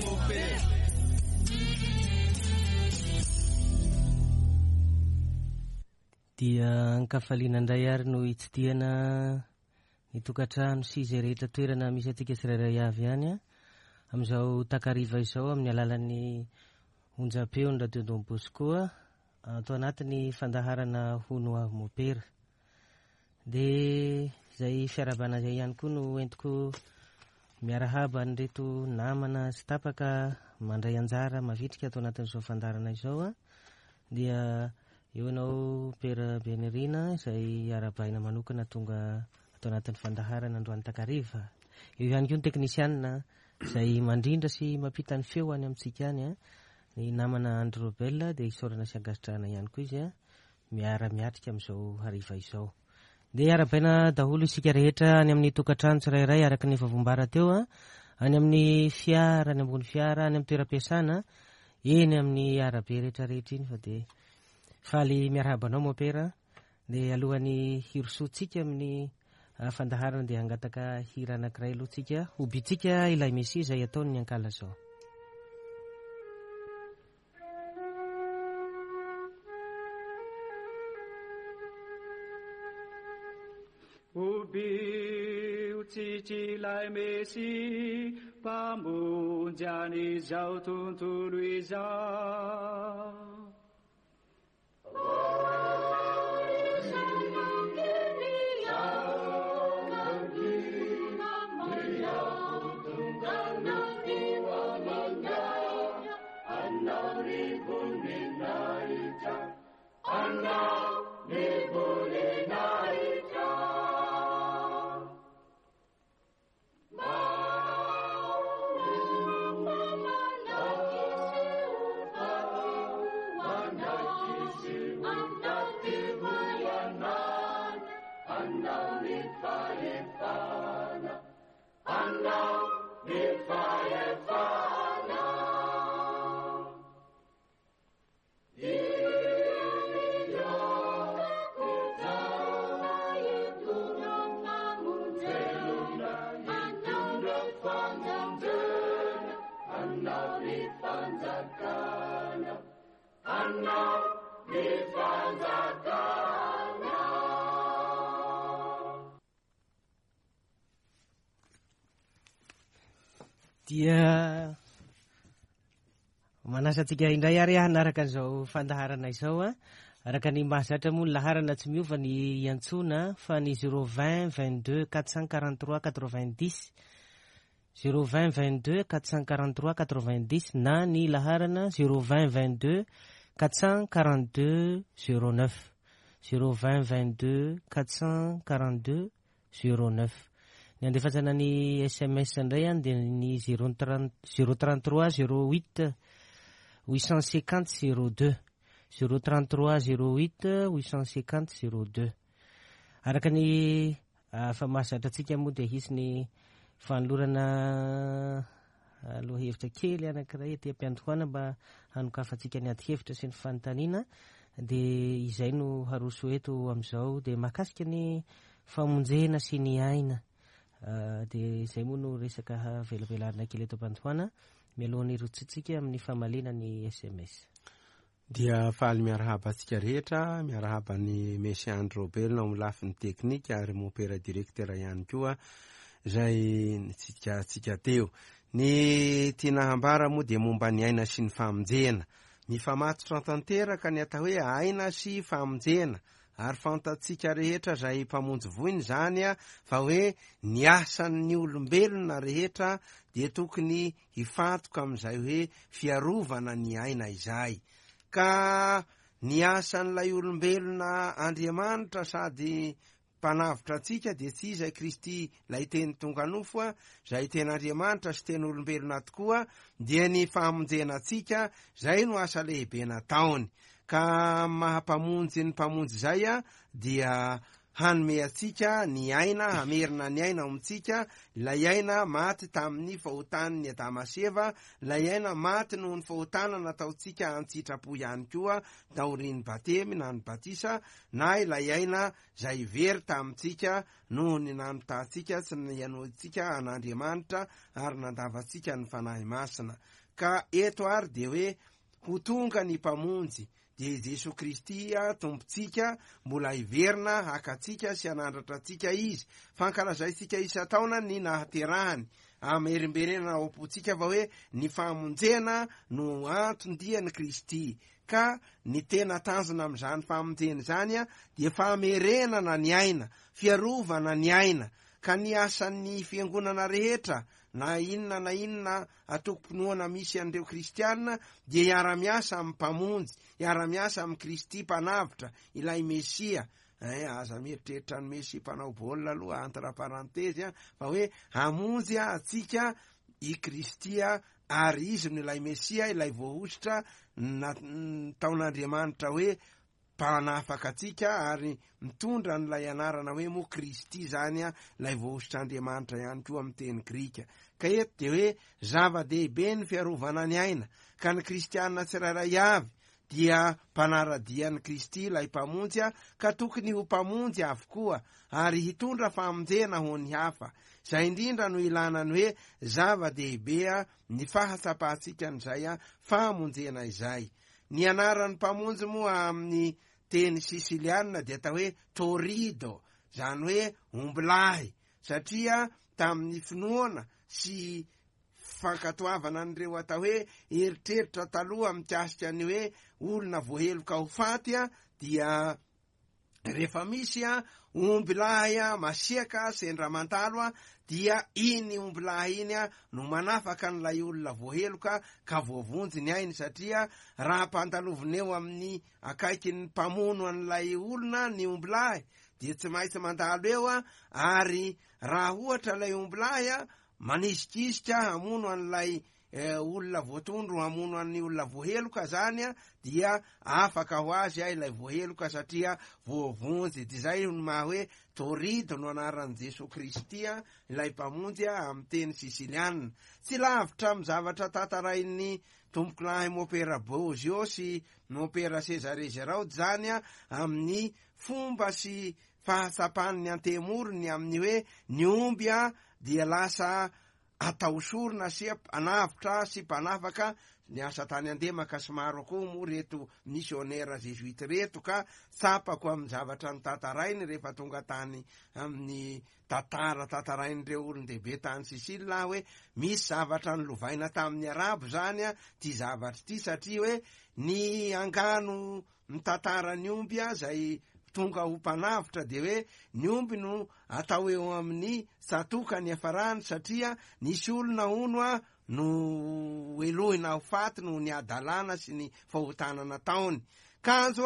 Mopera. Dia an-kafaliana indray ary no hitsidihana ny tokantrano sy izay rehetra toerana misy antsika tsirairay avy any amin'izao takariva izao amin'ny alalan'ny onjam-peon'ny Radio Don Bosco ato anatin'ny fandaharana Hono Aho Mopera. Dia izay fiarahabana izay ihany koa no entiko miarahaba an'ireto namana sy tapaka mandray anjara mavitrika ato anatin'izao fandaharana izao. Dia eo ianao Père Benirina izay arahabaina manokana tonga ato anatin'ny fandaharana androany takariva. Eo ihany koa ny teknisianina izay mandrindra sy mampita ny feo any amintsika any, ny namana Andry Robel, dia isaorana sy ankasitrahana ihany koa izy miara-miatrika amin'izao hariva izao. Dia arahabaina daholo isika rehetra any amin'ny tokantrano tsirairay araka ny efa voambara teo, any amin'ny fiara, any ambony fiara, any amin'ny toeram-piasana, eny amin'ny arabe rehetrarehetra iny fa dia faly miarahaba anao Mopera. Dia alohan'ny hirosoantsika amin'ny fandaharana dia hangataka hira anankiray aloha tsika, hobitsika ilay Mesia izay ataon'ny ankalazao. Hobio tsitsy ilay Mesia mpamonjy an'izao tontolo izao. Dia manasa antsika indray ary hanaraka an'izao fandaharana izao a. Araka ny mahazatra moa ny laharana tsy miova ny iantsoana fa ny 020 22 443 90, 020 22 443 90 na ny laharana 020 22 442 09, 020 22 442 09. Ny andefasana ny SMS indray any dia ny zéro trente, zéro trente-trois zéro huit huit cent cinquante zéro deux, zéro trente-trois zéro huit huit cent cinquante zéro deux. Araka ny fa mahazatra antsika moa dia hisy ny fanolorana lohahevitra kely anankiray aty am-piandohana mba hanokafantsika ny adi-hevitra sy ny fanontaniana, dia izay no haroso eto amin'izao, dia mahakasika ny famonjena sy ny aina. Dia izay moa no resaka havelabelarina kely eto am-pandohana mialohan'ny hirotsitsika amin'ny famaliana ny SMS. Dia faly miarahaba antsika rehetra, miarahaba an'i Messi Andry Robelona ao amin'ny lafiny teknika ary Mompera Directeur ihany koa izay nitsidika antsika teo. Ny tiana hambara moa dia momba ny aina sy ny famonjena. Mifamatotra tanteraka ny atao hoe aina sy famonjena, ary fantatsika rehetra izay mpamonjy voina izany fa hoe ny asan'ny olombelona rehetra dia tokony hifantoka amin'izay hoe fiarovana ny aina izay. Ka ny asan'ilay olombelona Andriamanitra sady Mpanavotra antsika dia tsy iza i Kristy ilay Teny tonga nofo, izay tena Andriamanitra sy tena olombelona tokoa, dia ny famonjena antsika, izay no asa lehibe nataony. Ka amin'ny maha Mpamonjy ny Mpamonjy izay dia. hanome antsika ny aina, hamerina ny aina ao amintsika, ilay aina maty tamin'ny fahotan'ny Adama sy Eva, ilay aina maty noho ny fahotana nataontsika an-tsitrapo ihany koa taorian'ny batemy na ny batisa, na ilay aina izay very tamintsika noho ny nanotantsika sy nihainoantsika an'Andriamanitra ary nandavantsika ny Fanahy Masina. Ka eto ary dia hoe ho tonga ny Mpamonjy, dia i Jesoa Kristy Tompontsika, mbola hiverina haka antsika sy hanandratra antsika Izy. Fankalazaintsika isan-taona ny nahaterahany. Amerimberenana ao am-pontsika fa hoe ny famonjena no anton-dian'i Kristy. Ka ny tena tanjona amin'izany famonjena izany dia famerenana ny aina, fiarovana ny aina. Ka ny asan'ny fiangonana rehetra, na inona na inona antokom-pinoana misy an'ireo kristiana, dia hiara-miasa amin'ny Mpamonjy, hiara-miasa amin'i Kristy Mpanavotra, ilay Mesia. Aza mieritreritra ny Mesia mpanao baolina aloha, entre parenthèse, fa hoe hamonjy antsika i Kristy, ary Izy no ilay Mesia, ilay voahosotra nataon'Andriamanitra hoe mpanafaka antsika, ary mitondra an'ilay anarana hoe moa Kristy izany, ilay voahosotr'Andriamanitra ihany koa amin'ny teny grika. Ka eto dia hoe zava-dehibe ny fiarovana ny aina, ka ny kristiana tsirairay avy dia mpanara-dia an'i Kristy ilay Mpamonjy, ka tokony ho mpamonjy avokoa, ary hitondra famonjena ho ny hafa. Izay indrindra no ilana ny hoe zava-dehibe ny fahatsapantsika an'izay famonjena izay. Ny anaran'ny Mpamonjy moa amin'ny teny sisilianina dia atao hoe Torrido, izany hoe ombilahy, satria tamin'ny finoana sy fankatoavana an'ireo atao hoe eritreritra taloha mikasika ny hoe olona voaheloka ho faty dia rehefa misy ombilahy masiaka sendra mandalo dia iny ombilahy iny no manafaka an'ilay olona voaheloka ka voavonjy ny ainy, satria raha ampandalovina eo amin'ny akaikin'ny mpamono an'ilay olona ny ombilahy dia tsy maintsy mandalo eo, ary raha ohatra ilay ombilahy manisikisika hamono an'ilay olona voatondro hamono an'ny olona voaheloka zany dia afaka ho azy ilay voaheloka satria voavonjy. Dia izay no maha hoe Torrido no anaran'i Jesoa Kristy ilay Mpamonjy amin'ny teny sisilianina. Tsy lavitra amin'ny zavatra tantarain'ny tompokolahy Mopera Bozio sy Mopera Cesare Giraud izany amin'ny fomba sy fahatsapan'ny antemorony amin'ny hoe ny omby dia lasa atao sorona sy mpanavotra sy mpanafaka. Niasa tany Andemaka sy maro koa moa reto misionera zezoita reto, ka tsapako amin'ny zavatra notantarainy rehefa tonga tany amin'ny tantara tantarain'ireo olon-dehibe tany Sisila aho hoe misy zavatra nolovaina tamin'ny Arabo zany ity zavatra ity, satria hoe ny angano mitantara ny omby izay tonga ho mpanavotra dia hoe ny omby no atao eo amin'ny tsatoka ny hafarany, satria nisy olona hono no helohina ho faty noho ny hadalana sy ny fahotana nataony. Kanjo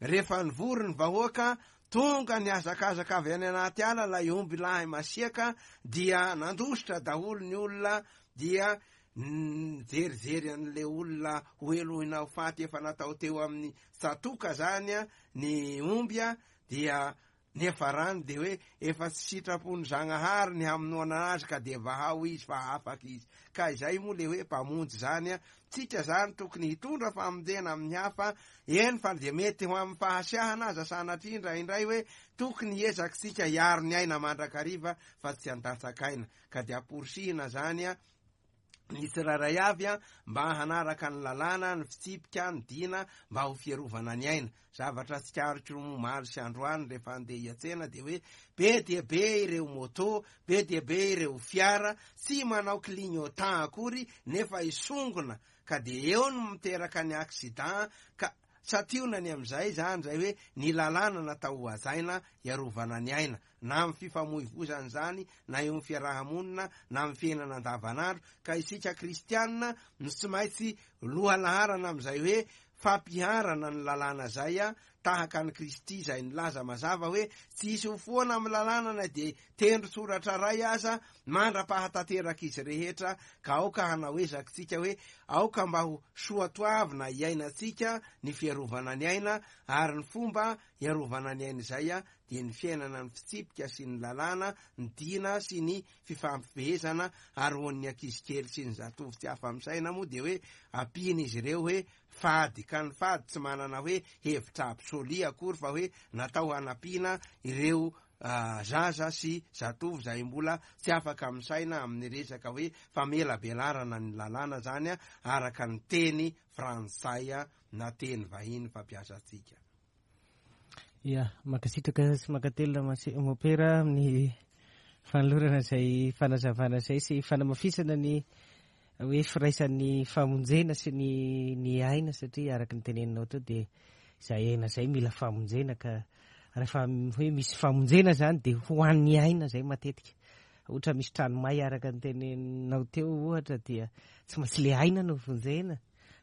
rehefa nivory ny vahoaka, tonga nihazakazaka avy any anaty ala ilay omby lahy masiaka, dia nandositra daholo ny olona, dia nijerijery an'ilay olona ho helohina ho faty efa natao teo amin'ny tsatoka zany ny omby, dia niafarany dia hoe efa tsy sitrapon'ny Zagnahary ny hamonoana azy ka dia vahao izy fa afaka izy. Ka izay moa le hoe mpamonjy zany. Tsika zany tokony hitondra famonjena amin'ny hafa, eny fa dia mety ho amin'ny fahasiahana aza sanatria indraindray hoe tokony hiezakitsika hiaro ny aina mandrakariva fa tsy handatsaka aina. Ka dia amporisihina zany ny tsirairay avy mba hanaraka ny lalàna, ny fitsipika, ny dina mba ho fiarovana ny aina. Zavatra tsikaritro omaly sy androany rehefa handeha hiantsena dia hoe be dia be ireo moto, be dia be ireo fiara tsy manao clignotant akory nefa hisongona, ka dia eo no miteraka ny accident. Ka santionany amin'izay zany izay hoe ny lalàna natao ho hajaina hiarovana ny aina, na amin'ny fifamoivoizana izany, na eo amin'ny fiaraha-monina, na amin'ny fiainana andavanandro. Ka isika kristianina no tsy maintsy lohalaharana amin'izay hoe fampiharana ny lalàna izay, tahaka an'i Kristy izay nilaza mazava hoe tsy hisy ho foana amin'ny lalàna na dia tendron-tsoratra iray aza mandra-pahatanteraka izy rehetra. Ka aoka hanao ezaka isika hoe aoka mba ho soatoavina hiainantsika ny fiarovana ny aina, ary ny fomba hiarovana ny aina izay. dia ny fiainana ny fitsipika sy ny lalàna, ny dina sy ny fifampifehezana, ary ho an'ny ankizy kely sy ny zatovo tsy afa-misaina moa dia hoe ampiana izy ireo hoe fady, ka ny fady tsy manana hoe hevitra absolu akory fa hoe natao hanampiana ireo zaza sy zatovo izay mbola tsy afaka misaina amin'ny resaka hoe famelabelarana ny lalàna izany araka ny teny frantsay na teny vahiny fampiasantsika. Ya, mankasitraka sy mankatelina Mopera amin'ny fanolorana izay fanazavana izay sy fanamafisana ny hoe firaisan'ny famonjena sy ny ny aina satria araka ny teneninao teo dia izay aina izay mila famonjena ka rehefa hoe misy famonjena izany dia ho an'ny aina izay matetika. Ohatra misy trano may araka ny teneninao teo ohatra dia tsy maintsy le aina no vonjena.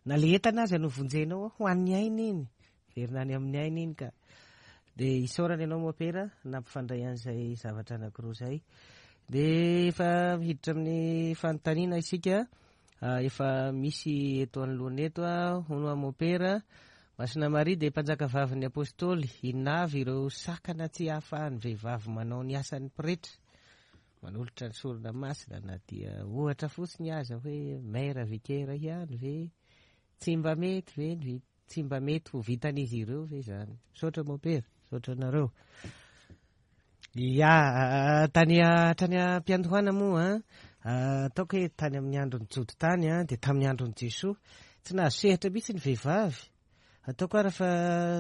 Na le entana aza no vonjenao ho an'ny aina iny. Verina any amin'ny aina iny ka. Dia isaorana ianao Mopera nampifandray an'izay zavatra anankiroa izay. Dia efa hiditra amin'ny fanontaniana isika. Ah, efa misy eto anoloana eto ah, hono aho Mopera. Masina Maria dia mpanjaka vavin'ny Apostoly. Inona avy ireo sakana tsy ahafahan'ny vehivavy manao ny asan'ny pretra? Manolotra ny sorona masina na dia ohatra fotsiny aza hoe maire vicaire ihany ve? Tsy mba mety ve ny Tsy mba mety ho vitan'izy ireo ve izany? Misaotra Mompera, misaotra anareo. Ya, tany hatrany am-piandohana moa an, ataoko hoe tany amin'ny andron'ny Jody tany an, dia tamin'ny andron'i Jesoa, tsy nahazo sehatra mihitsy ny vehivavy. Ataoko ara fa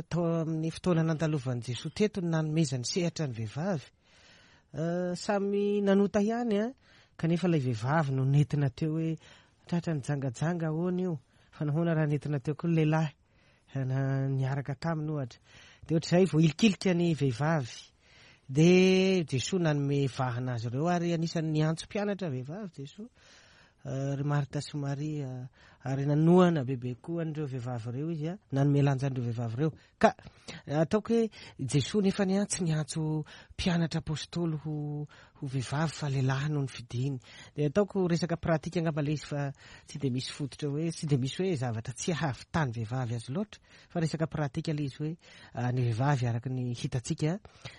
tao amin'ny fotoana nandalovan'i Jesoa teto no nanomezany sehatra ny vehivavy. Samy nanota ihany an, kanefa ilay vehivavy no nentina teo hoe tratra nijangajanga ahoana io? Fa nahoana raha nentina teo koa ny lehilahy na niaraka taminy ohatra? Dia ohatr'izay voahilikilika ny vehivavy. Dia Jesoa nanome vahana azy ireo ary anisan'ny niantso mpianatra vehivavy Jesoa, ry Marta sy Maria, ary nanohana bebe koa an'ireo vehivavy ireo izy, nanome lanja an'ireo vehivavy ireo. Ka ataoko hoe Jesoa nefany an tsy niantso mpianatra apostoly ho ho vehivavy fa lehilahy no nifidiny. Dia ataoko resaka pratique angamba ilay izy fa tsy dia misy fototra hoe tsy dia misy hoe zavatra tsy ahavitany vehivavy azy loatra fa resaka pratique ilay izy hoe ny vehivavy araka ny hitantsika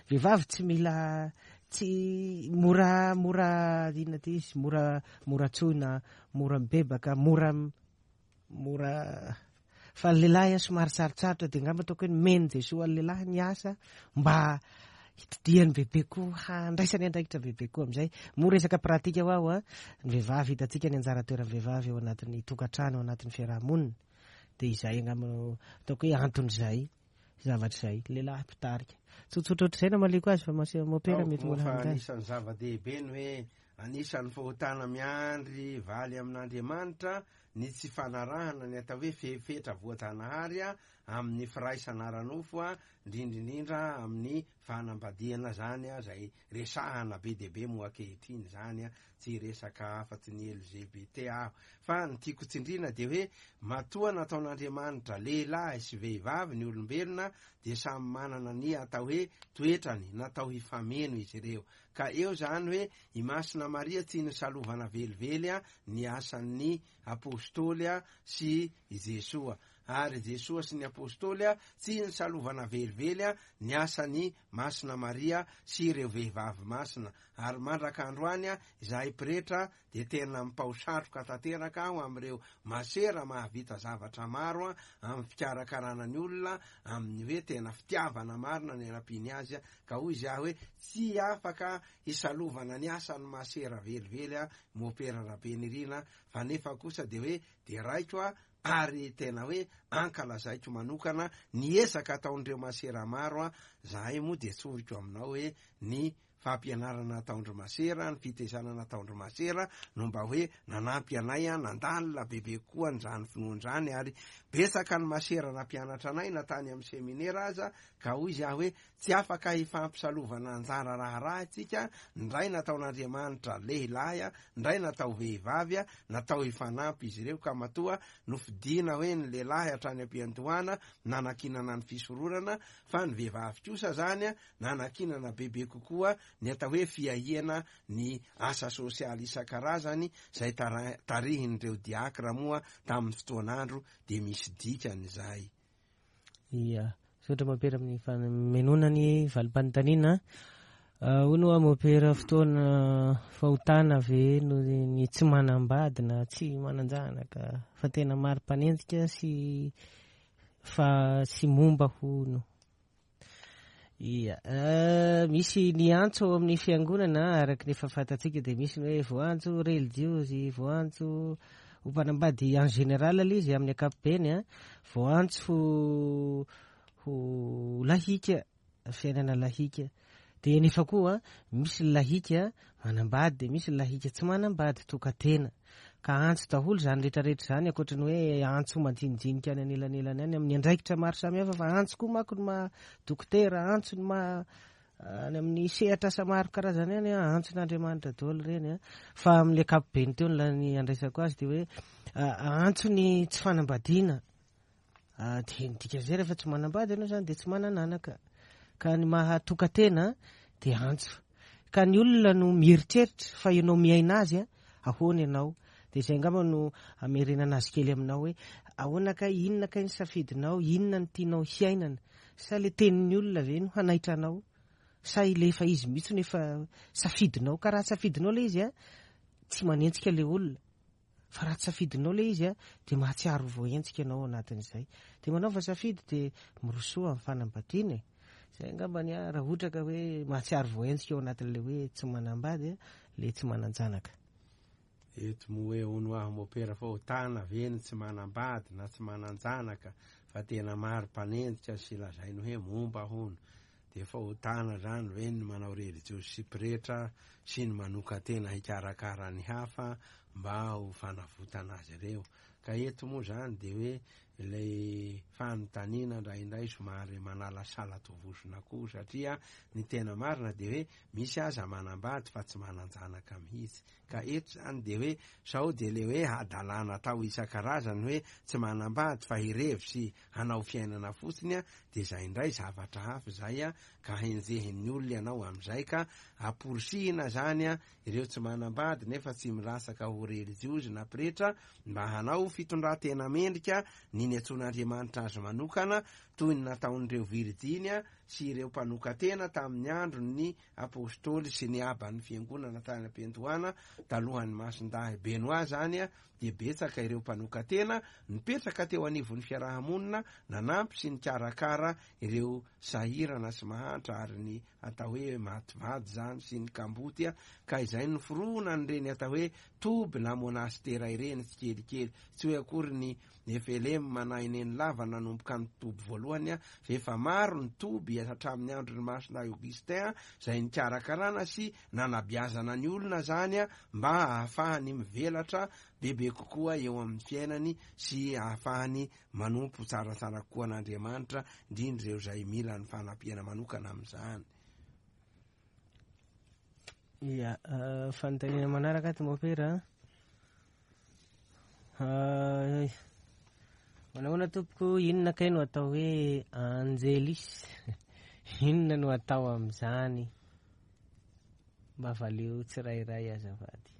vehivavy tsy mila tsy mora mora inona ty izy mora mora tsoina mora mibebaka mora Mora fa ny lehilahy a somary sarotsarotra dia angamba ataoko hoe nomen'i Jesoa an'ny lehilahy ny asa mba hitodihany bebe koa handraisany andraikitra bebe koa amin'izay. Moa resaka pratika ho aho a, ny vehivavy hitantsika ny anjara toeran'ny vehivavy ao anatin'ny tokantrano, ao anatin'ny fiaraha-monina. Dia izay angamba no ataoko hoe anton'izay zavatra izay. Lehilahy mpitarika. Tsotsotra ohatr'izay namaliako azy fa mopera mety mbola hanontany. Anisan'ny zava-dehibe ny hoe anisan'ny fahotana miandry valy amin'Andriamanitra ny tsy fanarahana ny atao hoe fepetra voajanahary amin'ny firaisana ara-nofo, indrindra indrindra amin'ny fanambadiana izany izay resahana be dia be moa ankehitriny izany, tsy hiresaka afa-tsy ny LGBT aho, fa ny tiako tsindriana dia hoe matoa nataon'Andriamanitra lehilahy sy vehivavy ny olombelona dia samy manana ny atao hoe toetrany, natao hifameno izy ireo, ka eo izany hoe i Masina Maria tsy nisalovana velively ny asan'ny Apostoly sy i Jesoa, ary Jesoa sy ny Apostoly tsy nisalovana velively ny asan'i Masina Maria sy ireo vehivavy masina, ary mandraka androany izahay pretra dia tena mipao satroka tanteraka aho amin'ireo masera mahavita zavatra maro amin'ny fikarakarana ny olona amin'ny hoe tena fitiavana marina ny anampiany azy, ka hoy izy aho hoe tsy afaka hisalovana ny asan'ny masera velively aho Mopera Rabenirina fa nefa kosa dia hoe deraiko aho ary tena hoe ankalazaiko manokana ny ezaka ataon'ireo masera maro a, zahay moa dia tsoriko aminao hoe ny fampianarana ataon-dry masera, ny fitezana nataon-dry masera no mba hoe nanampy anay a, nandalina bebe kokoa an'izany finoana izany ary betsaka ny masera nampianatra anay na tany amin'ny seminera aza ka hoy izy aho hoe Tsy afaka hifampisalovana anjara raharaha isika, ndray nataon'Andriamanitra lehilahy, ndray natao vehivavy, natao hifanampy izy ireo ka matoa nofidiana hoe ny lehilahy hatrany am-piandohana nanankinana ny fisoronana fa ny vehivavy kosa zany nanankinana bebe kokoa ny atao hoe fiahiana ny asa sosialy isan-karazany izay tarihin'ireo diakra moa tamin'ny fotoan'andro dia misy dikany izay. Ia. Misaotra Mompera amin'ny famenoana ny valim-panontaniana. Hono hoa Mompera, fotoana fahotana ve no ny tsy manambady na tsy manan-janaka fa tena maro mpanenjika sy fa sy momba hono. Ia, misy ny antso ao amin'ny fiangonana araka ny efa fantatsika dia misy ny hoe voantso relijiozy, voantso ho mpanambady en général ilay izy amin'ny ankapobeny a, voantso ho lahika, fiainana lahika. Dia nefa koa misy ny lahika manambady dia misy ny lahika tsy manambady, tokan-tena. Ka antso daholo izany rehetrarehetra izany ankoatry ny hoe antso majinijinika any anelanelany any amin'ny andraikitra maro samihafa fa antso koa manko ny maha dokotera, antso ny maha any amin'ny sehatra asa maro karazany any, antson'Andriamanitra daholo ireny. Fa amin'ny ankapobeny teo ny andraisako azy dia hoe antso ny tsy fanambadiana. Dia ny dikan'izay rehefa tsy manambady ianao izany dia tsy manana anaka. Ka ny maha tokan-tena dia antso. Ka ny olona no mieritreritra fa ianao miaina azy, ahoana ianao? Dia izay angamba no hamerenana azy kely aminao hoe ahoana kay, inona kay ny safidinao, inona no tianao hiainana? Sa ilay tenin'ny olona ve no hanaitra anao? Sa ilay efa izy mihitsy no efa safidinao? Ka raha safidinao ilay izy, tsy manenjika ilay olona. Fa raha tsy safidinao ilay izy dia mahatsiaro ho voahenjika ianao ao anatin'izay. Dia manaova safidy dia mirosoa amin'ny fanambadiana e. Izay angamba ny ahy raha ohatra ka hoe mahatsiaro voahenjika ao anatin'ilay hoe tsy manambady ilay tsy manan-janaka. Eto moa hoe hono aho mopera fahotana ve ny tsy manambady na tsy manan-janaka fa tena maro mpanenjika sy lazainy hoe momba hono. Dia fahotana izany ve ny manao relijiozy sy pretra sy ny manokan-tena hikarakara ny hafa mba ho fanavotana azy ireo? Ka eto moa izany dia hoe ilay fanontaniana indraindray somary manalasala tovozona koa satria ny tena marina dia hoe misy aza manambady fa tsy manan-janaka mihitsy. Ka eto izany dia hoe sao dia ilay hoe hadalana atao isan-karazany hoe tsy manambady fa hirevy sy hanao fiainana fotsiny a, dia izay indray zavatra hafa izay a, ka henjehin'ny olona ianao amin'izay ka amporisihina izany a, ireo tsy manambady nefa tsy milatsaka ho relijiozy na pretra mba hanao fitondran-tena mendrika ny niantsoan'Andriamanitra azy manokana toy ny nataon'ireo virijiny a, sy ireo mpanokan-tena tamin'ny andron'ny Apostoly sy ny Aban'ny Fiangonana tany am-piandohana talohan'ny Masindahy Benoît izany a, dia betsaka ireo mpanokan-tena nipetraka teo anivon'ny fiaraha-monina nanampy sy nikarakara ireo sahirana sy mahantra ary ny atao hoe maty vady izany sy ny kamboty ka izay noforonan'ireny atao hoe toby na monastera ireny tsikelikely. Tsy hoe akory ny FLM na i Nenilava nanomboka ny toby voalohany fa efa maro ny toby hatramin'ny andron'i Masina Augustin izay nikarakarana sy nanabiazana ny olona izany mba hahafahany mivelatra bebe kokoa eo amin'ny fiainany sy hahafahany manompo tsaratsara kokoa an'Andriamanitra, indrindra ireo izay mila ny fanampiana manokana amin'izany. Ia, fanontaniana manaraka ato Mopera. Manahoana tompoko, inona kay no atao hoe angelis? Inona no atao amin'izany? Mba valio tsirairay azafady.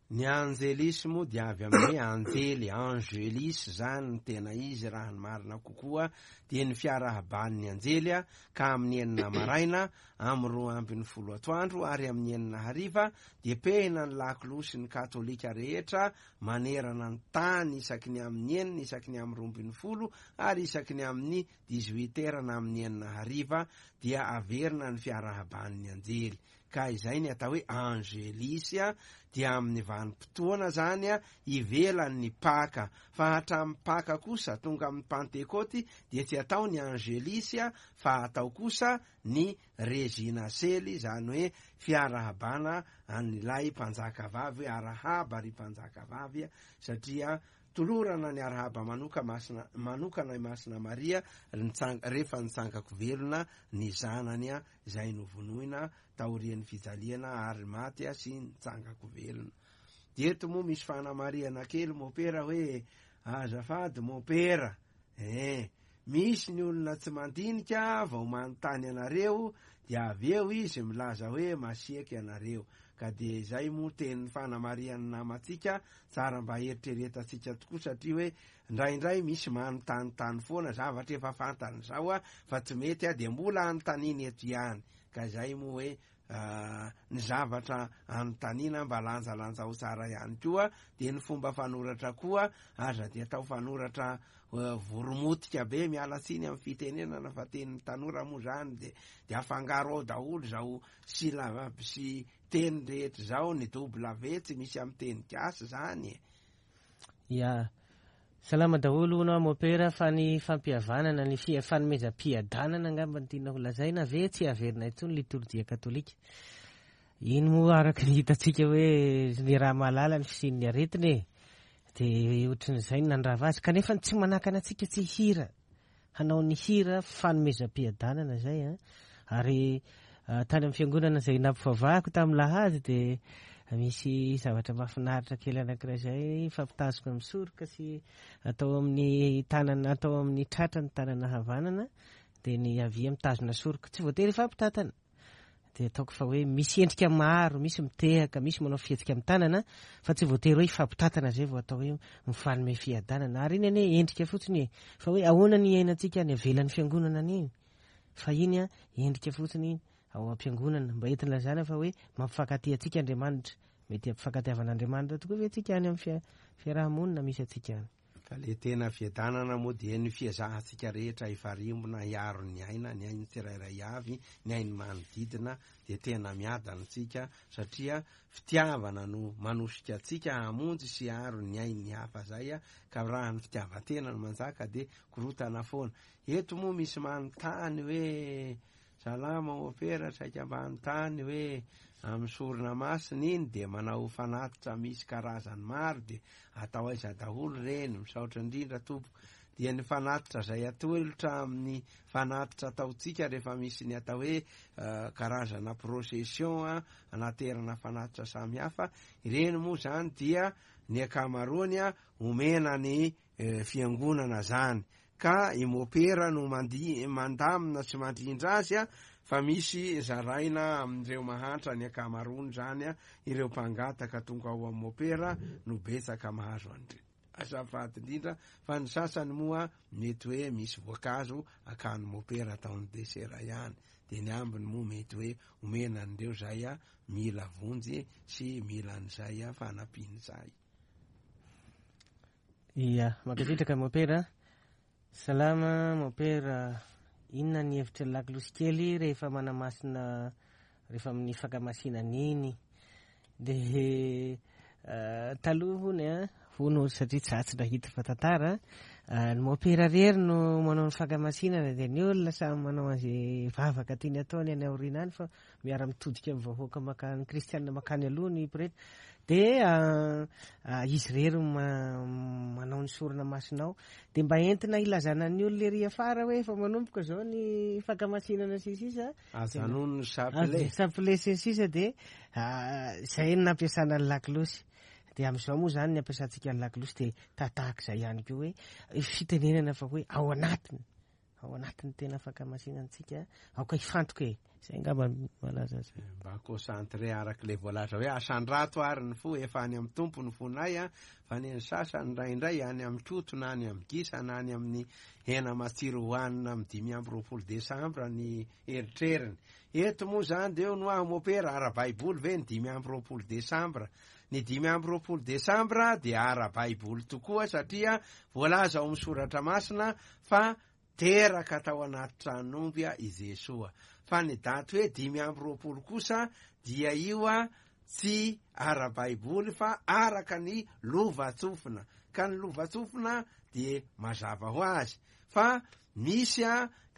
Ny angelis moa dia avy amin'ny hoe anjely, angelis izany no tena izy raha ny marina kokoa, dia ny fiarahaban'ny anjely ka amin'ny enina maraina, amin'ny 12 atoandro ary amin'ny enina hariva dia pehina ny lakolosy ny katolika rehetra manerana ny tany isaky ny amin'ny enina, isaky ny amin'ny 12 ary isaky ny amin'ny dix-huit heures na amin'ny enina hariva dia averina ny fiarahaban'ny anjely. Ka izay ny atao hoe angelis dia amin'ny vanim-potoana izany ivelan'ny Paka. Fa hatramin'ny Paka kosa tonga amin'ny Pantekoty dia tsy atao ny angelis fa atao kosa ny Regina Celi, izany hoe fiarahabana an'ilay mpanjakavavy hoe arahaba ry mpanjakavavy satria Tolorana ny arahaba manoka masina manokana i Masina Maria rehefa nitsangako velona ny zanany izay novonoina taorian'ny fijaliana ary maty sy nitsangako velona. Dia eto moa misy fanamarihana kely mopera hoe azafady mopera eh! Misy ny olona tsy mandinika vao manontany anareo dia avy eo izy milaza hoe masiaka ianareo. Ka dia izay moa tenin'ny fanamarihan'ny namantsika, tsara mba eritreretantsika tokoa satria hoe indraindray misy manontanintany foana zavatra efa fantany izao a, fa tsy mety a, dia mbola anontaniana eto ihany. Ka izay moa hoe ny zavatra anontaniana mba lanjalanjao tsara ihany koa, dia ny fomba fanoratra koa aza dia atao fanoratra voromotika be, miala tsiny amin'ny fitenenana fa tenin'ny tanora moa izany, dia dia afangaro ao daholo izao syllabe sy teny rehetra izao, ny W tsy misy amin'ny teny gasy izany e. Ya. Salama daholo hono aho Mopera fa ny fampihavanana, ny fanomezam-piadanana angamba no tiana ho lazaina ve tsy haverina intsony litorjia katolika. Iny moa araka ny hitantsika hoe ny raha mahalala ny fisian'ny aretina e. Dia ohatran'izay no nandrava azy kanefa tsy manakana antsika tsy hihira. Hanao ny hira fanomezam-piadanana izay an. Ary tany amin'ny fiangonana izay nampivavahako tamin'ny lahady dia misy zavatra mahafinaritra kely anankiray izay mifampitazona amin'ny soroka sy atao amin'ny tanana, atao amin'ny tratra ny tanana havanana dia ny havia mitazona soroka. Tsy voatery hifampitantana. Dia ataoko fa hoe misy endrika maro, misy mitehaka, misy manao fihetsika amin'ny tanana, fa tsy voatery hoe hifampitantana izay vao atao hoe mifanome fiadanana. Ary iny anie endrika fotsiny e, fa hoe ahoana ny iainantsika any avelan'ny fiangonana any iny? Fa iny an, endrika fotsiny iny ao am-piangonana, mba entina ilazana fa hoe mampifankatia antsika Andriamanitra. Mety hampifankatiavan'Andriamanitra tokoa ve tsika any amin'ny fiaraha-monina misy antsika any? Ka le tena fiadanana moa dia ny fiezahantsika rehetra hifarimbona hiaro ny aina, ny ain'ny tsirairay avy, ny ain'ny manodidina dia tena miadana tsika satria fitiavana no manosika antsika hamonjy sy hiaro ny ain'ny hafa zay ka raha ny fitiavan-tena no manjaka dia korotana foana. Eto moa misy manontany hoe Salama Opera, saika mba hanontany hoe amin'ny sorona masina iny dia manao fanatitra misy karazany maro dia atao aiza daholo ireny? Misaotra indrindra tompoko. Dia ny fanatitra izay atolotra amin'ny fanatitra ataontsika rehefa misy ny atao hoe karazana procession anaterana fanatitra samihafa, ireny moa izany dia ny ankamaroany omena ny fiangonana zany ka i mopera no mandi mandamina sy mandrindra azy a fa misy zaraina amin'ireo mahantra ny ankamaroany zany a ireo mpangataka tonga ao amin'ny mopera no betsaka mahazo an'ireny azafady indrindra fa ny sasany moa mety hoe misy voankazo akany mopera ataony desera ihany de ny ambiny moa mety hoe omena an'ireo zay a mila vonjy sy mila an'izay a fanampian'izay. Ia, mankasitraka Mopera. Salama Mopera, inona ny hevitry ny lakolosy kely rehefa manamasina rehefa amin'ny fankamasinana iny? Dia taloha hono a, hono satria za tsy nahita fa tantara, ny Mopera rery no manao ny fankamasinana dia ny olona samy manao an'izay vavaka tiany ataony any aoriana any fa miara-mitodika amin'ny vahoaka makany kristianina makany aloha ny pretra dia izy irery no manao ny sorona masina ao dia mba entina hilazana ny olona ery afara hoe efa manomboka izao ny fankamasinana sy ny sisa Ajanony ny chapelet. Chapelet sy ny sisa dia izay no nampiasana ny lakolosy dia amin'izao moa izany ny ampiasantsika ny lakolosy dia tahatahaka izay ihany koa hoe fitenenana fa hoe ao anatiny Ao anatin'ny tena fankamasinantsika, aoka hifantoka e! Izay angamba no malaza azy. Mba concentré araka ilay voalaza hoe asandrato ary ny fo, efa any amin'ny Tompo ny fonay an, fa ny an'ny sasany indraindray any amin'ny koto na any amin'ny gisa na any amin'ny hena matsiro hohanina amin'ny 25 desambra ny eritreriny. Eto moa izany dia eo no aho mopera, ara-baiboly ve ny 25 desambra? Ny 25 desambra dia ara-baiboly tokoa satria voalaza ao amin'ny soratra masina fa teraka tao anaty tranon'omby i Jesoa. Fa ny daty hoe 25 kosa dia io tsy ara-baiboly fa araka ny lovantsofina. Ka ny lovantsofina dia mazava ho azy fa misy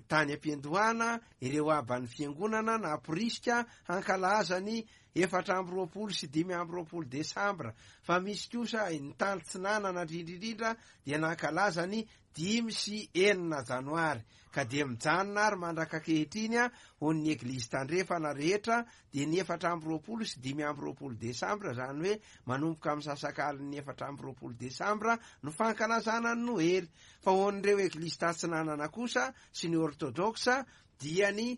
tany am-piandohana ireo aban'ny fiangonana namporisika hankalaza ny 24 sy 25 desambra, fa misy kosa ny tany tsinanana indrindra indrindra dia nankalaza ny 5 sy 6 janoary, ka dia mijanona ary mandrak'ankehitriny ho ny Eglizy tandrefana rehetra dia ny 24 sy 25 desambra, izany hoe manomboka amin'ny sasakalin'ny 24 desambra no fankalazana ny Noely, fa ho an'ireo Eglizy tatsinanana kosa sy ny Ortodoksa dia ny.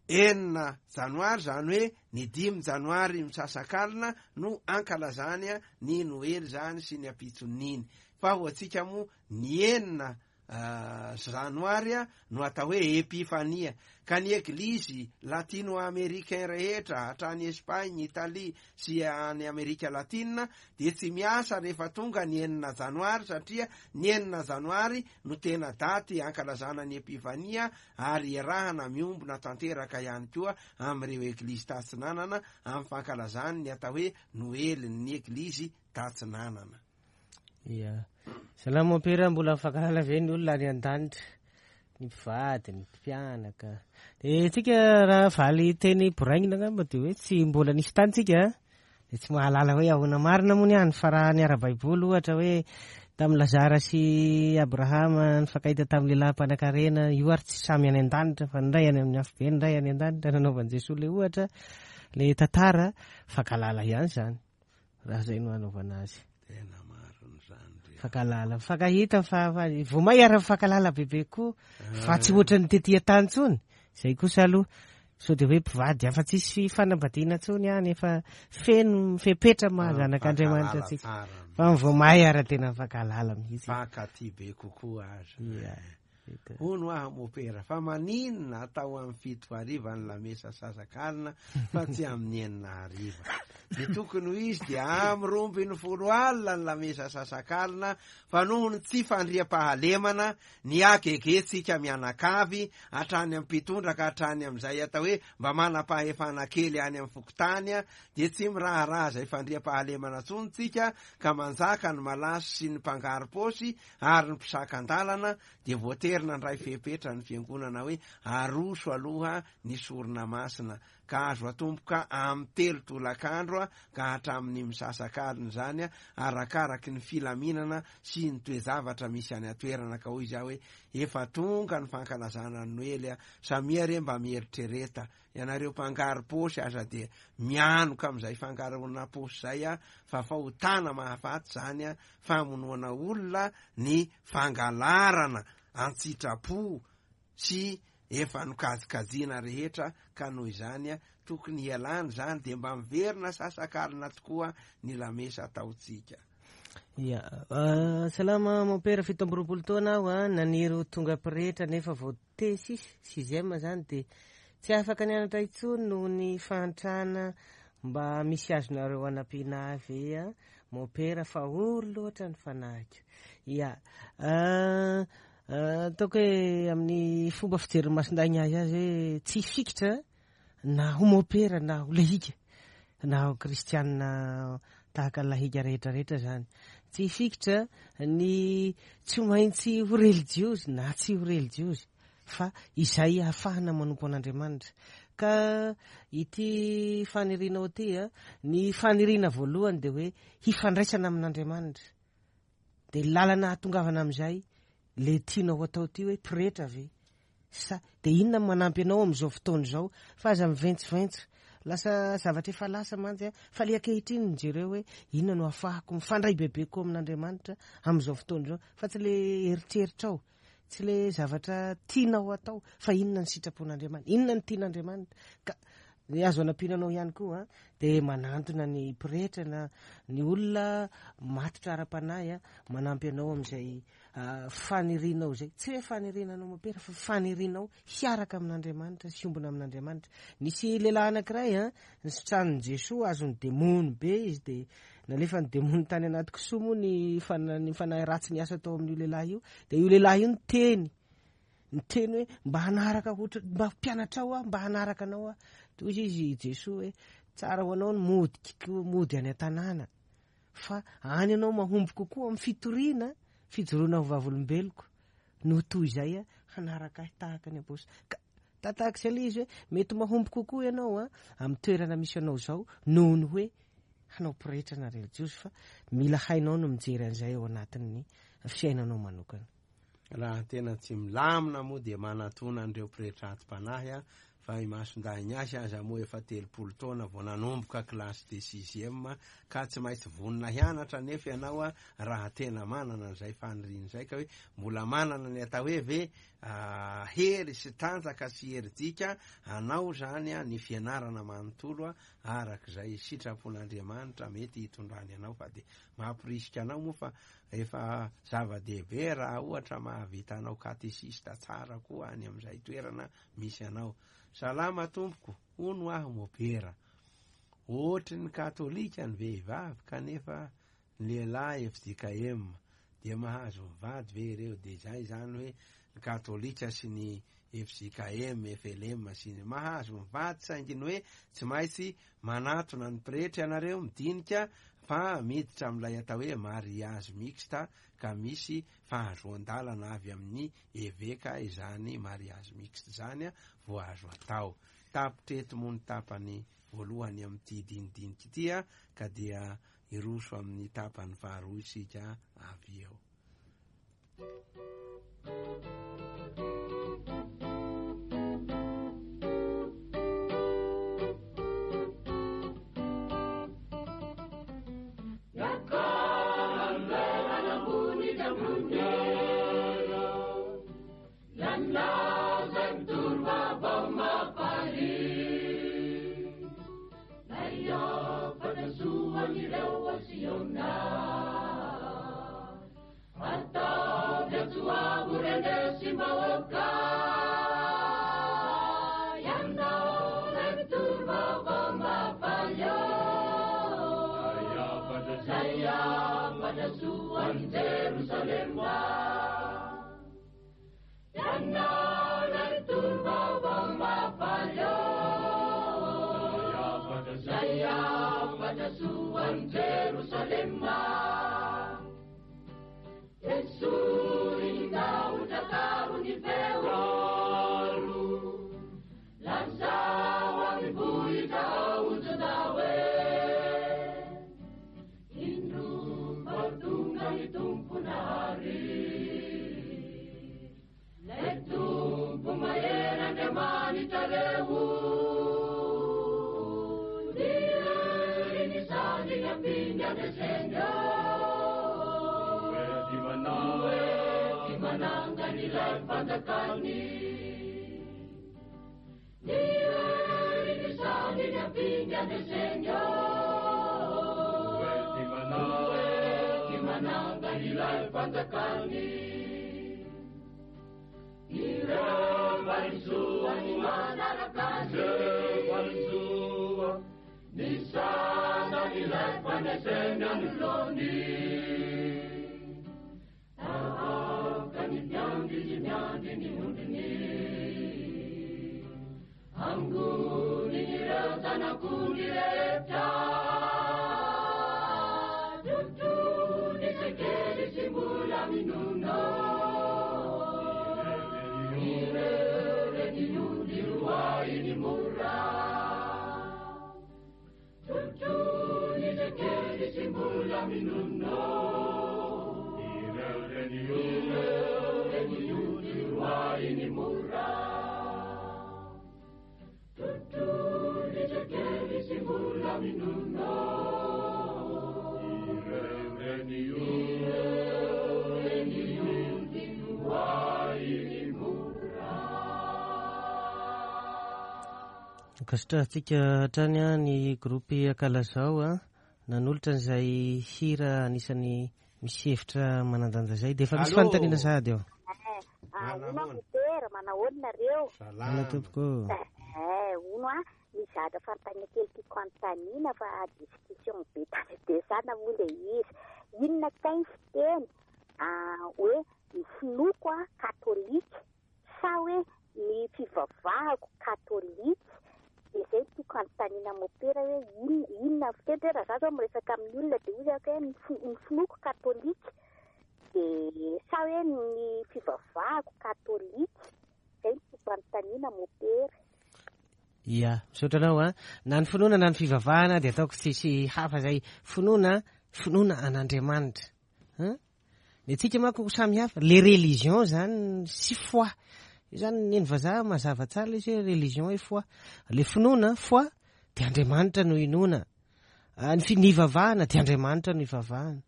6 janoary, izany hoe ny 5 janoary misasakalina no ankalazany ny Noely izany sy ny ampitson'iny. Fa ho antsika moa ny 6 janoary no atao hoe Epifania. Ka ny eglizy latino-americain rehetra hatrany Espagne, Italie sy any Amerika Latina dia tsy miasa rehefa tonga ny 6 janoary satria ny 6 janoary no tena daty ankalazana ny Epifania ary iarahana miombona tanteraka ihany koa amin'ireo eglizy tatsinanana amin'ny fankalazany ny atao hoe Noelin'ny eglizy tatsinanana. Ia. Salama mompera, mbola mifankahalala ve ny olona any an-danitra? Ny mpivady, ny mpianaka. Dia tsika raha valy teny boraingina angamba dia hoe tsy mbola nisy tany tsika dia tsy mahalala hoe ahoana marina moa ny any, fa raha ny ara-baiboly ohatra hoe tamin'i Lazara sy Abrahama nifankahita tamin'ny lehilahy mpanankarena, io ary tsy samy any an-danitra fa ny iray any amin'ny afobe, ny iray any an-danitra, nanaovan'i Jesoa ilay ohatra, ilay tantara, fankahalala ihany izany raha izay no hanaovana azy. Tena marina izany ry. Fankahalala, mifankahita fa fa vao may ary mifankahalala bebe koa fa tsy ohatran'ny tety an-tany intsony. Izay kosa aloha sao dia hoe mpivady afa tsisy fanambadiana intsony any efa feno fepetra maha zanak'Andriamanitra antsika. Fa vao may ary tena mifankahalala mihitsy. Mifankatia be kokoa aza. Ia. Hono aho mopera, fa maninona atao amin'ny 7 hariva ny lamesa sasakalina fa tsy amin'ny 6 hariva? Ny tokony ho izy dia amin'ny 12 alina ny lamesa sasakalina fa noho ny tsy fandriampahalemana, ny hagegentsika mianakavy, hatrany amin'ny mpitondra ka hatrany amin'izay atao hoe mba manam-pahefana kely any amin'ny fokontany, dia tsy miraharaha izay fandriampahalemana intsony tsika ka manjaka ny malaso sy ny mpangaro-paosy ary ny mpisakan-dalana dia voatery nandray fepetra ny fiangonana hoe aroso aloha ny sorona masina ka azo atomboka amin'ny 3 tolakandro ka hatramin'ny misasakalina izany arakaraky ny filaminana sy ny toe-javatra misy any an-toerana. Ka hoy izy aho hoe efa tonga ny fankalazana ny Noely, samia re mba mieritrereta Ianareo mpangaro-paosy aza dia mianoka amin'izay fangaroana paosy izay a, fa fahotana mahafaty izany a, famonoana olona ny fangalarana an-tsitrapo sy efa nokajikajiana rehetra ka noho izany a, tokony hialana izany dia mba miverina sasakalina tokoa ny lamesa ataontsika. Ya, salama mon père, 27 taona aho a, naniry ho tonga pretra nefa vao T6, sixième zany dia tsy afaka nianatra intsony noho ny fahantrana mba misy azonareo anampiana ahy ve a mon père fa ory loatra ny fanahiko. Ya, ataoko hoe amin'ny fomba fijerin'ny Masindahy azy azy hoe tsy hifikitra na ho mopera na ho lahika na ho kristianina tahaka ny lahika rehetra rehetra zany tsy hifikitra ny tsy maintsy ho relijiozy na tsy ho relijiozy fa izay ahafahana manompo an'Andriamanitra ka ity fanirianao ity a ny faniriana voalohany dia hoe hifandraisana amin'Andriamanitra dia lalana hahatongavana amin'izay le tianao atao ity hoe pretra ve Sa dia inona no manampy anao amin'izao fotoana izao fa aza miventsiventso. Lasa zavatra efa lasa mantsy fa le ankehitriny no jereo hoe inona no ahafahako mifandray bebe kokoa amin'Andriamanitra amin'izao fotoana izao fa tsy le eritreritrao, tsy le zavatra tianao atao fa inona ny sitrapon'Andriamanitra, inona ny tian'Andriamanitra. Ka ny azo anampiana anao ihany koa dia manantona ny pretra na ny olona matotra ara-panahy manampy anao amin'izay fanirianao izay, tsy hoe faniriana anao mopera fa fanirianao hiaraka amin'Andriamanitra sy hiombona amin'Andriamanitra. Nisy lehilahy anankiray an, nisitranin'i Jesoa, azon'ny demony be izy dia nalefan'ny demony tany anaty kisoa moa ny ny fanahy ratsy niasa tao amin'io lehilahy io. Dia io lehilahy io niteny, niteny hoe mba hanaraka ohatra, mba mpianatrao aho, mba hanaraka anao aho. Toy izy Jesoa hoe tsara ho anao ny mody, mody any an-tanàna. Fa any ianao mahomby kokoa amin'ny fitoriana, fijoroana ho vavolombeloko, noho toy izay hanaraka ahy tahaka ny apostoly. Ka tahaka izay ilay izy hoe mety mahomby kokoa ianao amin'ny toerana misy anao izao noho ny hoe hanao pretra na relijiozy, fa mila hainao ny mijery an'izay ao anatin'ny fiainanao manokana. Raha tena tsy milamina moa dia manatona an'ireo pretra atim-panahy. Fa i Masindahy Ignace aza moa efa 30 taona vao nanomboka classe de sixième, ka tsy maintsy vonona hianatra anefa ianao raha tena manana an'izay faniriana izay, ka hoe mbola manana ny atao hoe ve hery sy tanjaka sy herijika anao izany ny fianarana manontolo arak'izay sitrapon'Andriamanitra mety hitondrany anao. Fa dia mamporisika anao moa fa efa zava-dehibe raha ohatra mahavita anao katesista tsara koa any amin'izay toerana misy anao. Salama tompoko, hono aho mopera. Ohatry ny katolika ny vehivavy kanefa ny lehilahy fjkm dia mahazo mivady ve ireo? Dia izay izany hoe ny katolika sy ny fjkm, flm sy ny mahazo mivady saingy ny hoe tsy maintsy manatona ny pretra ianareo midinika fa miditra amin'ilay atao hoe mariage mixte ka misy fahazoan-dalana avy amin'ny eveka izany mariage mixte izany vao azo atao. Tapitra eto moa ny tapany voalohany amin'ity dinidinika ity ka dia hiroso amin'ny tapany faharoa isika avy eo. Ankasitrahantsika hatrany ny groupe Akalazao nanolotra an'izay hira anisan'ny misy hevitra manan-danja izay. Dia efa misy fanontaniana sahady eo. Hono aho Mopera, manahoana nareo? Salama tompoko. Hono aho, misy zavatra fanontaniana kely tiako hanontaniana fa discussion be tany am-piasana moa ilay izy. Inona kay ny fiteny hoe ny finoako katolika sa hoe ny fivavahako katolika? Dia izay no tiako hanontaniana Mopera hoe inona inona ny fiteny hoe raha za zao miresaka amin'ny olona dia hoy aho hoe ny finoako katolika dia sa hoe ny fivavahako katolika? Izay no tiako hanontaniana Mopera. Ia, misaotra anao an. Na ny finoana na ny fivavahana dia ataoko tsisy hafa izay. Finoana, finoana an'Andriamanitra. Hein? Ny antsika manko samy hafa. Le religion zany sy foi. Io zany ny eny vazaha mazava tsara ilay izy hoe religion et foi. Le finoana, foi, dia Andriamanitra no inoana. Ny fi- ny ivavahana dia Andriamanitra no ivavahana.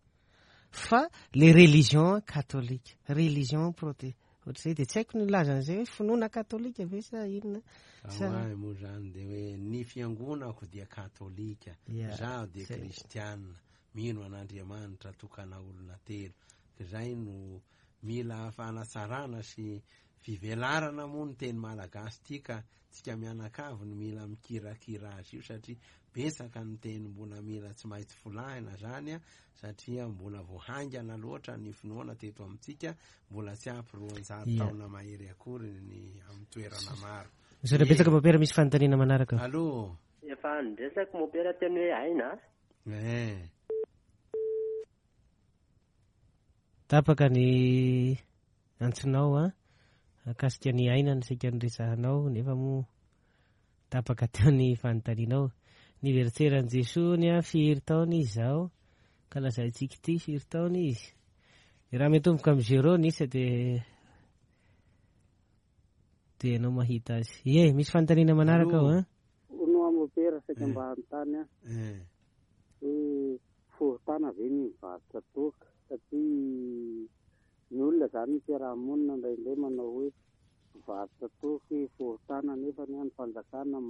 Fa le religion katolika, religion prote, ohatr'izay dia tsy haiko ny hilaza an'izay hoe finoana katolika ve sa inona sa. Ao ahy moa zany dia hoe ny fiangonako dia katolika, izaho dia kristiana, mino an'Andriamanitra tokana olona telo. Izay no mila fanatsarana sy fivelarana moa ny teny malagasy ity ka tsika mianakavy no mila mikirakira azy io satria betsaka ny teny mbola mila tsy maintsy folahina zany a, satria mbola vao haingana loatra ny finoana teto amintsika, mbola tsy ampy 200 taona mahery akory ny amin'ny toerana maro. Misaotra betsaka Mopera, misy fanontaniana manaraka. Allo. Efa niresaka Mopera teny hoe aina a. Eh. Tapaka ny antsonao a, mikasika ny aina no saika niresahanao nefa moa tapaka teo ny fanontanianao. Ny veritseran'i Jesoa hono a, firy taona izy izao? Ka lazaintsika ity firy taona izy? Dia raha miantomboka amin'ny zéro ny isa dia dia ianao mahita azy. Ie, misy fanontaniana manaraka ao a. Hono aho mopera saika mba hanontany aho hoe fahotana ve ny mivarotra toaka satria ny olona izany ny fiaraha-monina indraindray manao hoe mpivarotra toaka hoe fahotana nefa anie ny fanjakana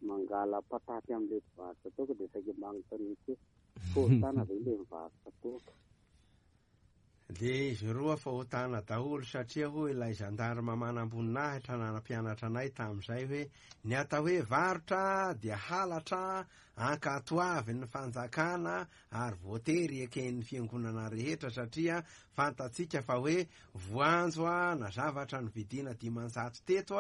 mangala pataty amin'ilay mpivarotra toaka dia saika mba hanontaniako hoe fahotana ve ilay mivarotra toaka? Dia izy roa fahotana daholo satria hoy ilay zandarma manamboninahitra nanampianatra anay tamin'izay hoe ny atao hoe varotra dia halatra ankatoavin'ny fanjakana ary voatery eken'ny fiangonana rehetra satria fantatsika fa hoe voanjo na zavatra novidiana 500 teto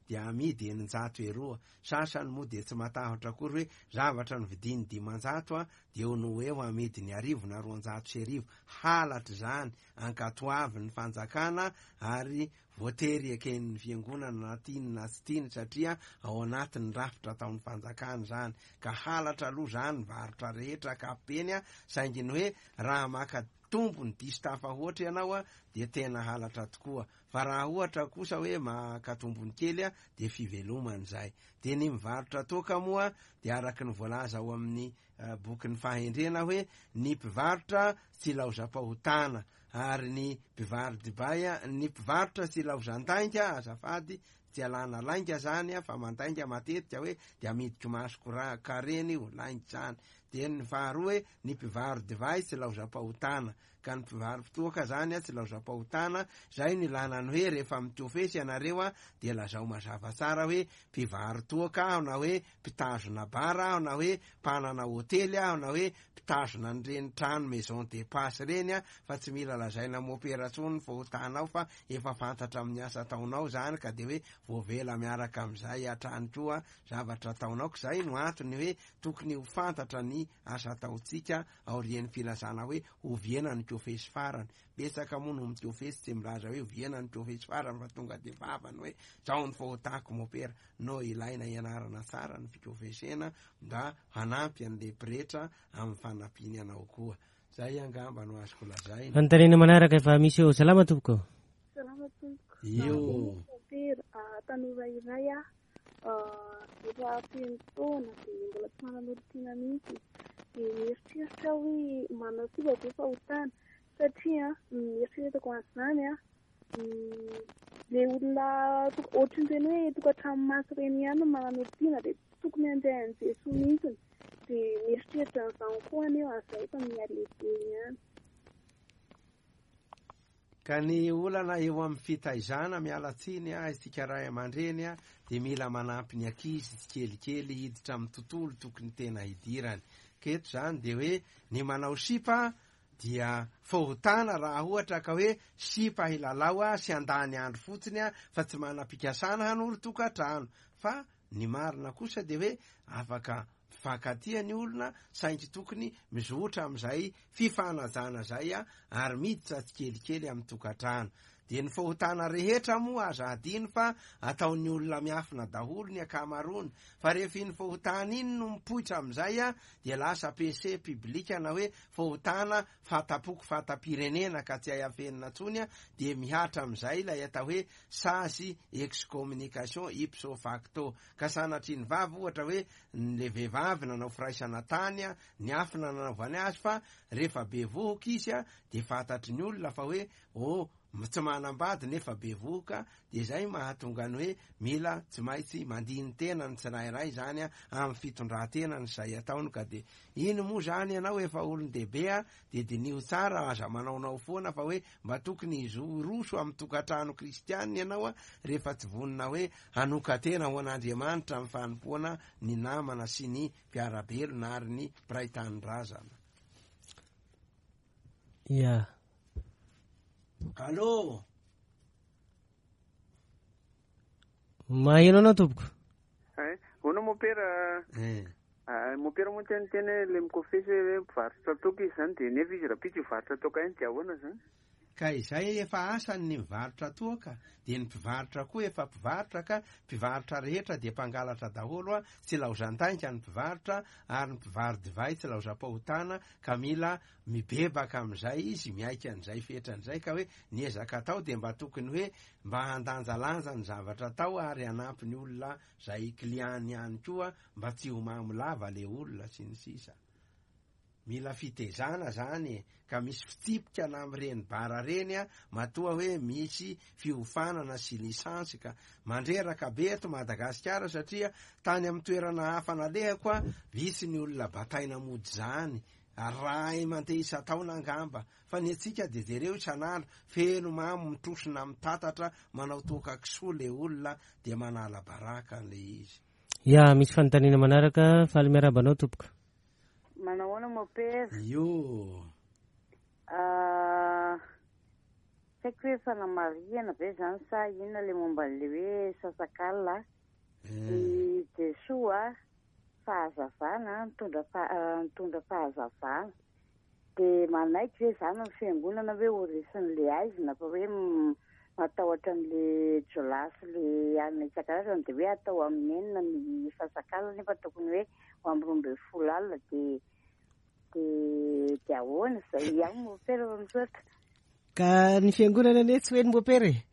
dia amidy 600 eroa, sasany moa dia tsy matahotra akory hoe zavatra novidiany 500 dia eo no ho eo amidiny 1000 na 1200, halatra izany, ankatoavin'ny fanjakana ary voatery eken'ny fiangonana na tiany na tsy tiany satria ao anatin'ny rafitra ataon'ny fanjakana izany, ka halatra aloha izany ny varotra rehetra ankapobeny, saingy ny hoe raha maka tombony diso tafahoatra ianao dia tena halatra tokoa, fa raha ohatra kosa hoe maka tombony kely dia fivelomana izay. Dia ny mivarotra toaka moa dia araka ny voalaza ao amin'ny bokin'ny fahendrena hoe ny mpivarotra tsy ilaozam-pahotana ary ny mpivaro-dibay, ny mpivarotra tsy ilaozan-dainga, azafady, tsy alana lainga zany fa mandainga matetika hoe dia amidiko masoko ra karena io, lainga zany. Dia ny faharoa hoe ny mpivaro-divay tsy ilaozam-pahotana, ka ny mpivaro-toaka zany tsy ilaozam-pahotana, zay no ilana ny hoe rehefa mikofesy ianareo dia lazao mazava tsara hoe mpivaro-toaka aho na hoe mpitazona bar aho na hoe mpanana hotely aho na hoe mpitazona an'ireny trano maison de passe ireny fa tsy mila lazaina mopera intsony ny fahotanao fa efa fantatra amin'ny asa ataonao izany ka dia hoe voavela miaraka amin'izay hatrany koa zavatra ataonao ka izay no antony hoe tokony ho fantatra ny asa ataontsika aorian'ny filazana hoe oviana ny kofesy farany. Betsaka moa no mikofesy tsy milaza hoe oviana ny kofesy farany fa tonga dia vavany hoe zao ny fahotako mopera. No ilaina ianarana tsara ny fikofesena mba hanampy an'ilay pretra amin'ny fanampiany anao koa. Zay angamba no azoko lazaina. Fanontaniana manaraka efa misy eo. Salama tompoko. Salama tompoko. Io. Mopera, tanora iray aho. Efa feno taona dia mbola tsy manana olon-tiana mihitsy. Dia mieritreritra aho hoe manao sipa ve fahotana satria ny eritreretako an'izany ilay olona ohatran'ireny hoe tokantrano maso ireny ihany no manana olon-tiana dia tsy tokony handray an'i Jesoa mihitsy. Dia mieritreritra an'izany koa anefa izay fa mihalehibe ihany. Ka ny olana eo amin'ny fitaizana, miala tsiny a, isika ray aman-dreny a, dia mila manampy ny ankizy tsikelikely hiditra amin'ny tontolo tokony tena hidirany. Ka eto izany dia hoe ny manao sipa dia fahotana raha ohatra ka hoe sipa hilalao a sy handany andro fotsiny a fa tsy manam-pikasana hanoro tokantrano. Fa ny marina kosa dia hoe afaka mifankatia ny olona saingy tokony mizotra amin'izay fifanajana izay ary miditra tsikelikely amin'ny tokantrano. Dia ny fahotana rehetra moa aza adino fa ataon'ny olona miafina daholo ny ankamaroany, fa rehefa iny fahotana iny no mipoitra amin'izay dia lasa péché public na hoe fahotana fata-poko fata-pirenena ka tsy hay afenina intsony dia mihatra amin'izay ilay atao hoe sazy excommunication ipso facto. Ka sanatria ny vavy ohatra hoe le vehivavy nanao firaisana tany niafina nanaovany azy fa rehefa bevohoka izy dia fantatry ny olona fa hoe Oh, tsy manambady nefa bevohoka, dia izay mahatonga ny hoe mila tsy maintsy mandini-tena ny tsirairay izany amin'ny fitondran-tenany izay ataony ka dia iny moa izany ianao efa olon-dehibe a, dia diniho tsara aza manaonao foana fa hoe mba tokony hiroso amin'ny tokantrano kristianina ianao a, rehefa tsy vonona hoe hanokan-tena ho an'Andriamanitra amin'ny fanompoana ny namana sy ny mpiara-belona ary ny mpiray tanindrazana. Ya. Allô. Maheno anao tompoko. Hay, hono mopera. Eh. Ah, mopera moa teny teny hoe le mikofesy hoe mpivarotra toaka izy zany de nefa izy rahampitso hivarotra toaka ihany de ahoana zany? Ka izay efa asany ny mivarotra toaka dia ny mpivarotra koa efa mpivarotra ka mpivarotra rehetra dia mpangalatra daholo a, tsy laozan-dainga ny mpivarotra ary ny mpivaro-divay tsy laozam-pahotana ka mila mibebaka amin'izay izy, miaiky an'izay fetrany izay ka hoe ny ezaka atao dia mba tokony hoe mba handanjalanja ny zavatra atao ary hanampy ny olona izay client-ny ihany koa mba tsy ho mamo lava le olona sy ny sisa. Mila fitezana zany e, ka misy fitsipika na amin'ireny bar reny a, matoa hoe misy fiofanana sy licence ka. Mandreraka be eto Madagasikara satria tany amin'ny toerana hafa nalehako a, vitsy ny olona bataina mody zany, ray mandeha isan-taona angamba, fa ny antsika dia jereo isan'andro, feno mamo mitrosona mitatatra manao toaka kisoa le olona dia manala baraka an'le izy. Ya, misy fanontaniana manaraka, faly miarahaba anao tompoko. Manahoana mopera? Io. Ah, tsy haiko hoe fanamarihana ve zany sa inona le momba an'le hoe sasak'alina. I Jesoa fahazavana, nitondra nitondra fahazavana. Dia manaiky ve zany ny fiangonana hoe ho resin'le aizina fa hoe matahotra an'le jiolahy sy le alina isan-karazany dia hoe atao amin'ny enina ny sasak'alina nefa tokony hoe ho amin'ny 12 alina dia dia dia ahoana izay ihany mopera fa misaotra. Ka ny fiangonana anie tsy hoe ny mopera e.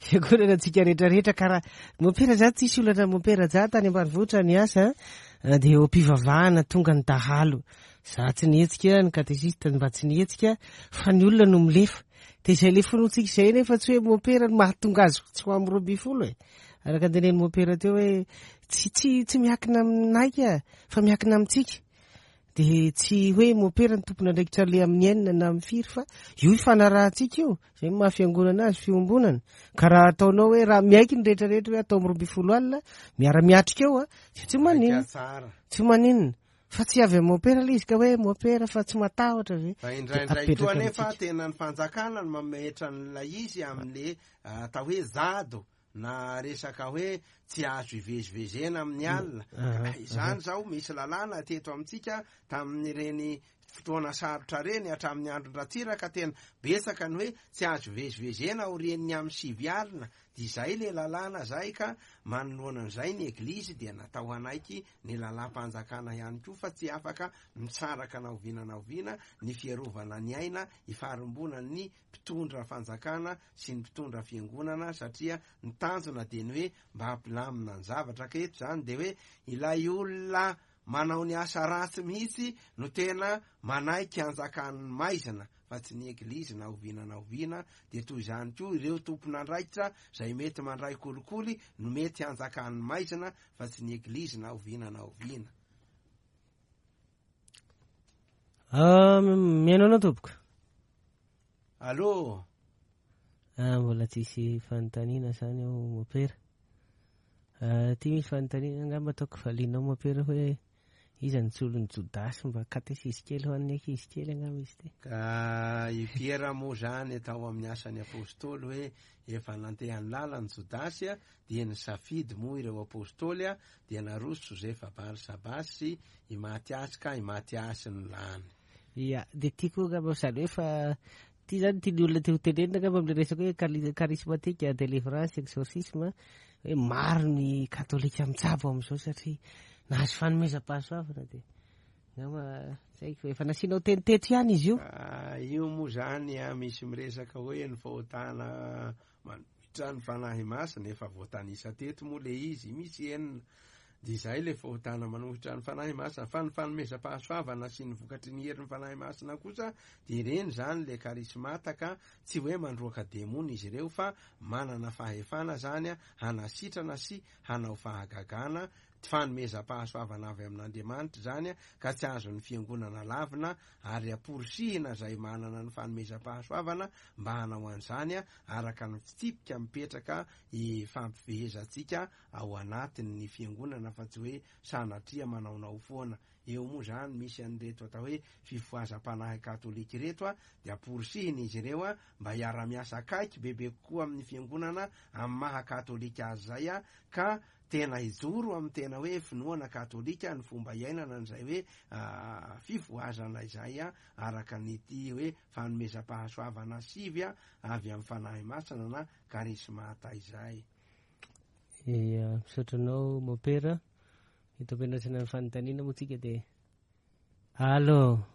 Fiangonana antsika rehetra rehetra ka raha mopera za tsisy olana mopera za tany ambanivohitra niasa dia eo am-pivavahana tonga ny dahalo. Za tsy nihetsika, ny katesista mba tsy nihetsika fa ny olona no milefa. Dia izay le finoantsika izay nefa tsy hoe mopera no mahatonga azy tsy ho amin'ny 12 e. Araka ny tenenin'i mopera teo hoe tsy tsy tsy miankina aminay ka fa miankina amintsika. Dia tsy hoe mopera ny tompon'andraikitra le amin'ny enina na amin'ny firy fa io ifanarahantsika io, izay no maha fiangonana azy, fiombonana. Ka raha ataonao hoe raha miaiky ny rehetra rehetra hoe atao amin'ny 12 alina, miara-miatrika eo a, dia tsy maninona. Tsy maninona. Fa tsy avy amin'ny mopera ilay izy ka hoe mopera fa tsy matahotra ve? Fa indraindray koa anefa tena ny fanjakana no mametra an'ilay izy amin'le atao hoe zado na resaka hoe tsy azo ivezivezena amin'ny alina. Ka izany izao misy lalàna teto amintsika tamin'ireny fotoana sarotra ireny hatramin'ny andron-dRatsiraka tena betsaka ny hoe tsy azo ivezivezena aorian'ny amin'ny 9 alina. Dia izay ilay lalàna izay ka manoloana an'izay ny Eglizy dia natao hanaiky ny lalàm-panjakana ihany koa fa tsy afaka misaraka na oviana na oviana ny fiarovana ny aina ifarimbonan'ny mpitondra fanjakana sy ny mpitondra fiangonana satria ny tanjona dia ny hoe mba hampilamina ny zavatra ka eto izany dia hoe ilay olona manao ny asa ratsy mihitsy no tena manaiky hanjakan'ny maizina fa tsy ny eglizy na oviana na oviana dia toy izany koa ireo tompon'andraikitra izay mety mandray kolikoly no mety hanjakan'ny maizina fa tsy ny eglizy na oviana na oviana. Ah, mihaino anao tompoko. Allô? Ah, mbola tsisy fanontaniana zany eo mopera. Ah, ty misy fanontaniana angamba ataoko valianao mopera hoe iza ny solon'i Jodasy mba katesizy kely ho an'ny ankizy kely angamba izy ty. Ka i Piera moa zany tao amin'ny asan'ny apostoly hoe efa nandeha ny lalany Jodasy dia nisafidy moa ireo apostoly dia naroso Josefa Barsabasy sy i Matiasy ka i Matiasy no lany. Ia, dia tiako angamba izany hoe fa Ity zany tian'ny olona te ho tenenina angamba amin'ilay resaka hoe charismatique, délivrance, exorcisme, hoe maro ny katolika mitsabo amin'izao satria nahazo fanomezam-pahasoavana dia angamba tsy haiko, efa nasianao teny teto ihany izy io. Ah, io moa zany a, misy miresaka hoe ny fahotana manohitra ny Fanahy Masina, efa voatanisa teto moa le izy, misy enina. Dia izay ilay fahotana manohitra ny Fanahy Masina. Fa ny fanomezam-pahasoavana sy ny vokatry ny herin'ny Fanahy Masina kosa dia ireny izany ilay karismata ka tsy hoe mandroaka demony izy ireo fa manana fahefana izany hanasitrana sy hanao fahagagana, fanomezam-pahasoavana avy amin'Andriamanitra izany ka tsy azon'ny fiangonana lavina ary amporisihina izay manana ny fanomezam-pahasoavana mba hanao an'izany araka ny fitsipika mipetraka ifampifehezantsika ao anatin ny fiangonana fa tsy hoe sanatria manaonao foana. Eo moa izany misy an'ireto atao hoe fifohazam-panahy katolika ireto a, dia amporisihina izy ireo a mba hiara-miasa akaiky bebe kokoa amin'ny fiangonana amin'ny maha katolika azy izay a, ka tena hijoro amin'ny tena hoe finoana katolika ny fomba iainana an'izay hoe fifohazana izay a, araka ny ity hoe fanomezam-pahasoavana sivy a avy amin'ny Fanahy Masina na karismata izay. Ia, misaotra anao Mopera. Eto am-piandrasana ny fanontaniana moa tsika dia Allo.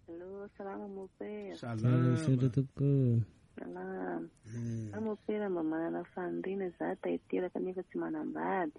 Allo, salama Mopera. Salama. Misaotra tompoko. Salama. Za Mopera mba manana faniriana za ta hiteraka nefa tsy manambady.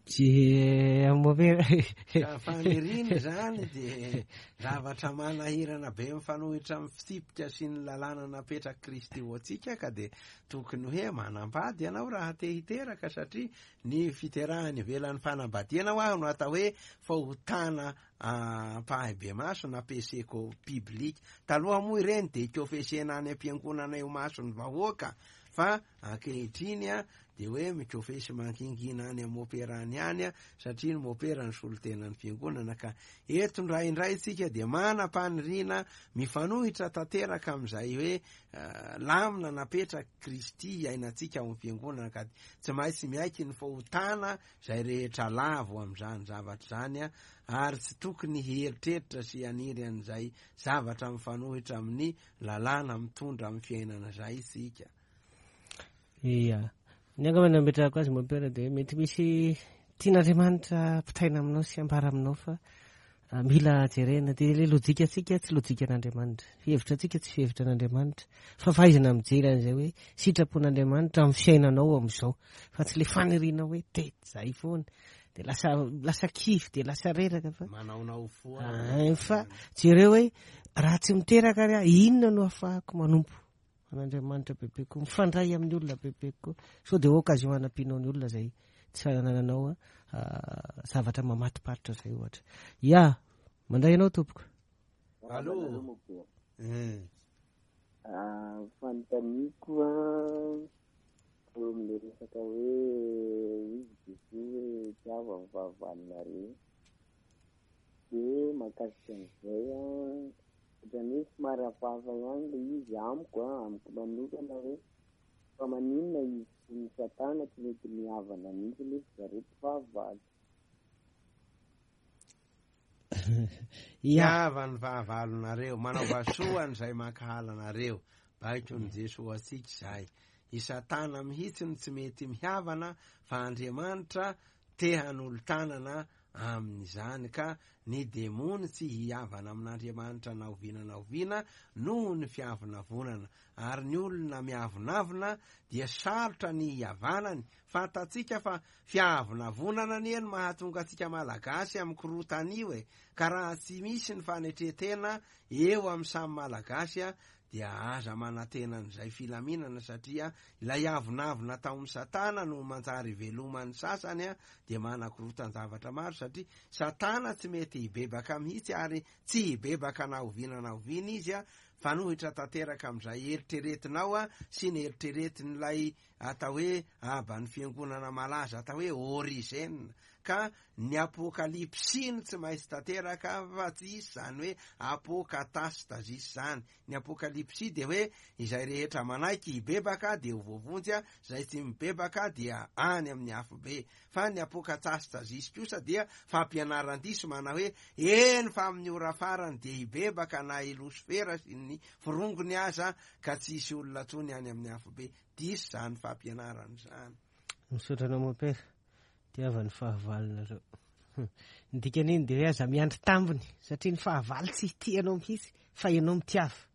Tsy Mopera. Ka faniriana izany dia zavatra manahirana be mifanohitra amin'ny fitsipika sy ny lalàna napetrak'i Kristy ho antsika ka dia tokony hoe manambady ianao raha te hiteraka satria ny fiterahana ivelan'ny fanambadiana ho'aho no atao hoe fahotana ampahibemaso na péché public. Taloha moa ireny dia kofesena any am-piangonana eo mason'ny vahoaka fa ankehitriny dia hoe mikofesy mangingina any amin'ny mopera any ihany satria ny mopera no solontenan'ny fiangonana ka eto indraindray tsika dia manam-paniriana mifanohitra tanteraka amin'izay hoe lamina napetrak'i Kristy iainantsika ao amin'ny fiangonana ka tsy maintsy miaiky ny fahotana izay rehetra lavo amin'izany zavatra izany ary tsy tokony hieritreritra sy haniry an'izay zavatra mifanohitra amin'ny lalàna mitondra amin'ny fiainana izay isika. Ia. Ny angamba ny nametrahako azy mon père dia mety misy tian'Andriamanitra ampitaina aminao sy ambara aminao fa ah, mila jerena dia ilay lojika antsika tsy lojika an'Andriamanitra. Fihevitra antsika tsy fihevitra an'Andriamanitra. Fa fahaizana mijery an'izay hoe sitrapon'Andriamanitra amin'ny fiainanao amin'izao. Fa tsy ilay faniriana hoe te zay foana. Dia lasa lasa kivy dia lasa reraka fa manaonao foana. Ah, fa jereo hoe raha tsy miteraka ary aho inona no ahafahako manompo an'Andriamanitra bebe koa, mifandray amin'ny olona bebe koa. Sao dia occasion hanampianao ny olona izay tsy anananao zavatra mamatoparitra izay ohatra. Ya, mandray anao tompoko. Allo. Fanontaniako an, eo amin'ilay resaka hoe hoy i Jesoa hoe tiavo ny fahavalonareo. Dia mahakasika an'izay an, ohatran'ny hoe somary hafahafa ihany ilay izy amiko an, amiko manokana hoe fa maninona izy sy ny satana tsy mety mihavana mihitsy nefa zareo mpifahavalo. Tiava ny fahavalonareo, manaova soa an'izay mankahala anareo. Baikon'i Jesoa antsika izay. I Satana mihitsy no tsy mety mihavana fa Andriamanitra te hanolo-tanana amin'izany ka ny demony tsy hihavana amin'Andriamanitra na oviana na oviana noho ny fiavonavonana. Ary ny olona miavonavona dia sarotra ny hihavanany. Fantatsika fa fiavonavonana anie no mahatonga antsika Malagasy amin'ny korontana io e! Ka raha tsy misy ny fanetren-tena eo amin'ny samy Malagasy dia aza manantena an'izay filaminana satria ilay avonavona tao amin'i Satana no manjary iveloman'ny sasany dia manakorotan-javatra maro satria Satana tsy mety hibebaka mihitsy ary tsy hibebaka na oviana na oviana izy fanohitra tanteraka amin'izay eritreretinao sy ny eritreretin'ilay atao hoe aban'ny fiangonana malaza atao hoe Origène. ka ny apokalypsy no tsy maintsy tanteraka fa tsy hisy izany hoe apokatastazisy izany. Ny apokalypsy dia hoe izay rehetra manaiky hibebaka dia ho voavonjy, izay tsy mibebaka dia any amin'ny afobe. Fa ny apokatastazisy kosa dia fampianaran-diso manao hoe eny fa amin'ny ora farany dia hibebaka na i Losifera sy ny forongony aza ka tsy hisy olona intsony any amin'ny afobe. Diso izany fampianarana izany. Misaotra anao mon père. Tiava ny fahavalonareo. Ny dikan'iny dia hoe aza miandry tambiny satria ny fahavalo tsy hitia anao mihitsy fa ianao mitiava.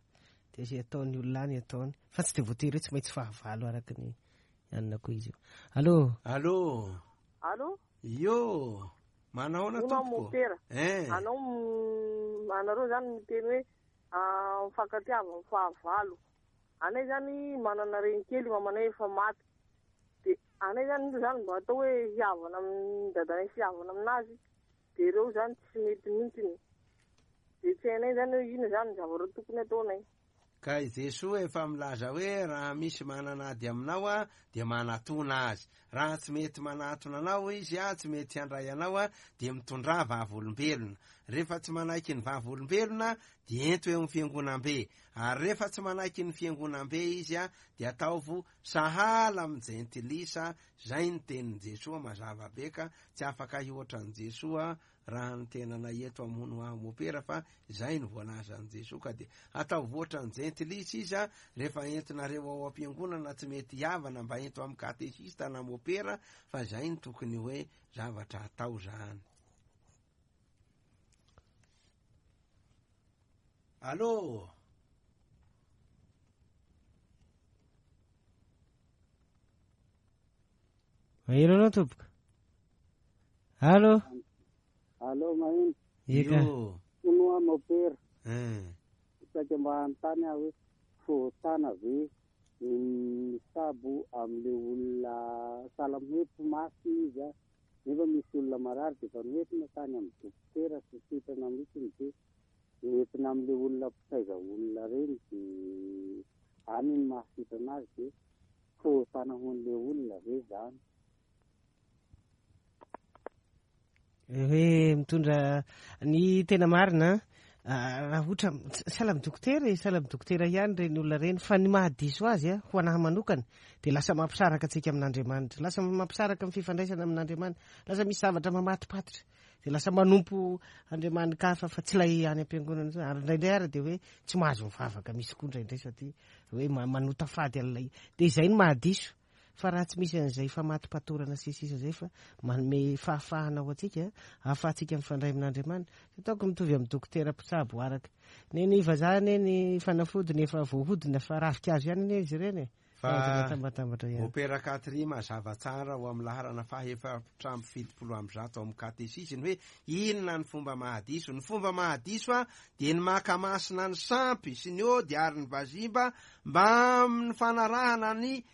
Dia izay ataon'ny olona any ataony fa tsy dia voatery hoe tsy maintsy fahavalo araka ny anona koa izy io. Allô. Allô. Allô. Io. Manahoana tompoko? Mompera. Eh. Anao anareo zany miteny hoe mifankatiava amin'ny fahavalo. Anay zany manana renikely mamanay efa maty. De anay zany io zany mba atao hoe hihavana amin'ny dadanay sy hihavana aminazy de ireo zany tsy mety mihitsiny. De tsy hainay zany hoe inona zany ny zavatra tokony ataonay. Ka i Jesoa efa milaza hoe raha misy manana ady aminao dia manatona azy. Raha tsy mety manatona anao izy, tsy mety handray anao dia mitondrà vavolombelona. Rehefa tsy manaiky ny vavolombelona dia ento eo amin'ny fiangonambe. Ary rehefa tsy manaiky ny fiangonambe izy dia ataovo sahala amin'ny jentilisa, izay ny tenin'i Jesoa mazava be ka tsy afaka hihoatra an'i Jesoa raha ny tenanay eto hamono ahy mopera fa izay no voalazan'i Jesoa ka dia ataovy ohatran'ny jentilisa izy a, rehefa entinareo ao am-piangonana tsy mety hihavana mba ento amin'ny katesista na mopera fa izay no tokony hoe zavatra atao zany. Allô? Maheno anao tompoko. Allô? Allô, maheno. Eka. Hono aho mopera. Eh. Saika mba hanontany aho hoe fahotana ve ny mitsabo amin'ilay olona sahala amin'ny hoe mpimasy izy a, nefa misy olona marary dia efa noentina tany amin'ny dokotera tsy sitrana mihitsy dia noentina amin'ilay olona mpitaiza olona ireny dia any no mahasitrana azy dia fahotana ho an'ilay olona ve izany? Hoe mitondra ny tena marina raha ohatra sahala amin'ny dokotera e, sahala amin'ny dokotera ihany ireny olona ireny fa ny mahadiso azy a, ho anahy manokana dia lasa mampisaraka antsika amin'Andriamanitra, lasa mampisaraka ny fifandraisana amin'Andriamanitra, lasa misy zavatra mamatopatotra dia lasa manompo Andriamani-kafa fa tsy ilay any am-piangonana intsony, ary indraindray ary dia hoe tsy mahazo mivavaka misy koa indraindray satria hoe manota fady an'ilay, dia izay no mahadiso. Fa raha tsy misy an'izay famatopatorana sy ny sisa izay fa manome fahafahana ho antsika, ahafahantsika mifandray amin'Andriamanitra. Tsy ataoko mitovy amin'ny dokotera mpitsabo araka ny ny vazaha anie ny fanafodiny efa voahodina fa ravinkazo ihany anie izy ireny e. Fa Tambatambatra ihany. Opera Catry mazava tsara ao amin'ny laharana faha 174 ao amin'ny katesisy ny hoe inona ny fomba mahadiso. Ny fomba mahadiso dia ny maka masina ny sampy sy ny ody ary ny vazimba mbamin'ny fanarahana ny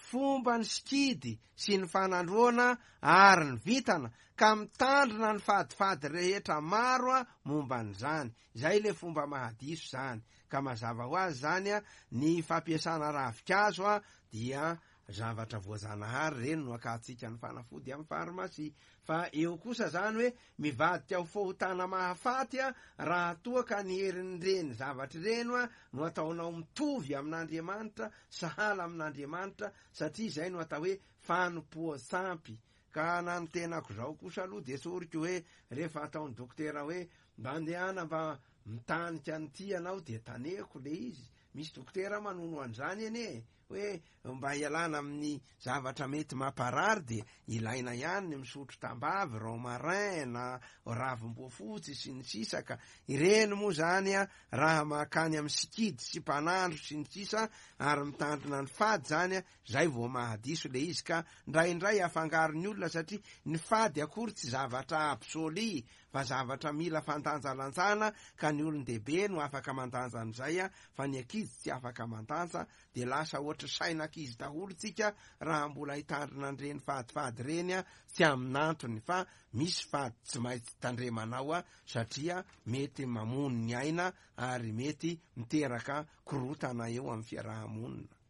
fomba ny sikidy sy ny fanandroana ary ny vintana ka mitandrina ny fadifady rehetra maro momba an'izany. Izay ilay fomba mahadiso izany. Ka mazava ho azy izany ny fampiasana ravinkazo dia zavatra voajanahary ireny no akantsika ny fanafody amin'ny farmasia. Fa eo kosa izany hoe mivadika ho fahotana mahafaty raha toa ka ny herin'ireny zavatra ireny no ataonao mitovy amin'Andriamanitra, sahala amin'Andriamanitra, satria izay no atao hoe fanompoan-tsampy. Ka na ny tenako izao kosa aloha dia tsoriko hoe rehefa ataon'ny dokotera hoe mba andehana mba mitanika an'ity ianao dia tanehiko le izy. Misy dokotera manono an'izany anie e! Hoe mba hialana amin'ny zavatra mety mamparary dia ilaina ihany ny misotro tambavy, romarin na ravim-boafotsy sy ny sisa ka ireny moa izany raha mankany amin'ny sikidy sy mpanandro sy ny sisa ary mitandrina ny fady izany zay vao mahadiso le izy ka ndraindray afangaron'ny olona satria ny fady akory tsy zavatra absolu fa zavatra mila fandanjalanjana ka ny olon-dehibe no afaka mandanja an'izay fa ny ankizy tsy afaka mandanja dia lasa ohatry sain'ankizy daholo tsika raha mbola hitandrina an'ireny fadifady ireny tsy amin'antony fa misy fady tsy maintsy tandremanao satria mety mamono ny aina ary mety miteraka korotana eo amin'ny fiaraha-monina.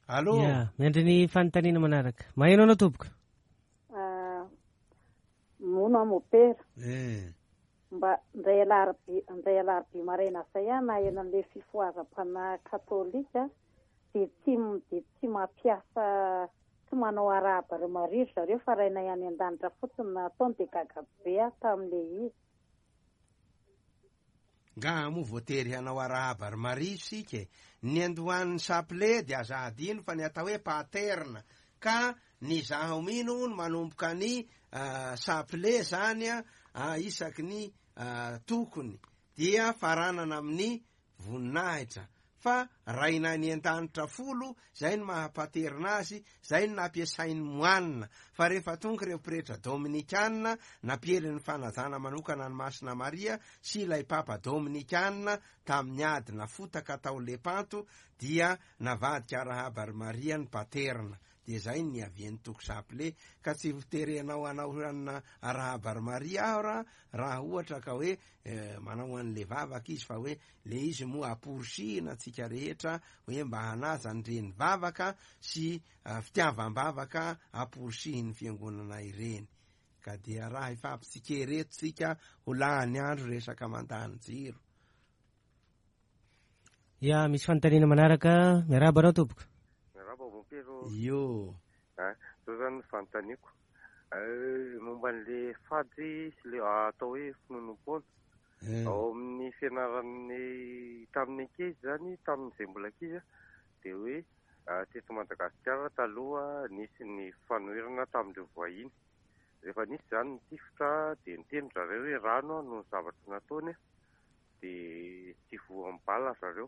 Allô? Ya, miandry ny fanontaniana manaraka. Maheno anao tompoko. Ah, Mono aho mopera. Eh. Mba indray alarobia, indray alarobia maraina izay aho naheno an'ilay fifohazam-panahy katolika dia tsy dia tsy mampiasa tsy manao arahaba ry Maria ry zareo fa Rainay any an-danitra fotsiny no ataony dia gaga be aho tamin'ilay izy. Ngaha moa voatery hanao arahaba ry Maria isika e? Ny niandohan'ny chapelet dia aza hadino fa ny atao hoe paterne ka ny zaho mino hono manomboka ny chapelet zany isaky ny tokony dia faranana amin'ny voninahitra fa Rainay any an-danitra folo, zay no maha paterina azy, zay no nampiasain'ny moanina, fa rehefa tonga ireo pretra dominikana nampiely ny fanajana manokana an'i Masina Maria sy ilay Papa dominikana tamin'ny ady nafotaka tao Lepanto dia navadika arahaba ry Maria ny paterina, dia zay no niavian'ny toko chapelet, ka tsy ho terenao hanao arahaba ry Maria aho raha ohatra ka hoe manao an'le vavaka izy fa hoe le izy moa amporisihina antsika rehetra hoe mba hanaja an'ireny vavaka sy fitiavam-bavaka amporisihin'ny fiangonana ireny. Ka dia raha hifampitsikera eto tsika ho lany andro resaka mandany jiro. Ya, misy fanontaniana manaraka. Miarahaba anao tompoko. Miarahaba mompera ô. Io. Ah, zao zany ny fanontaniako. Momba an'le fady sy le atao hoe finoanoam-poana. Ao amin'ny fianaran'ny tamin'ny ankizy zany, tamin'izay mbola ankizy dia hoe teto Madagasikara taloha nisy ny fanoherana tamin'ireo vahiny. Rehefa nisy izany ny tifitra dia niteny ry zareo hoe rano no zavatra nataony dia tsy voan'ny bala ry zareo.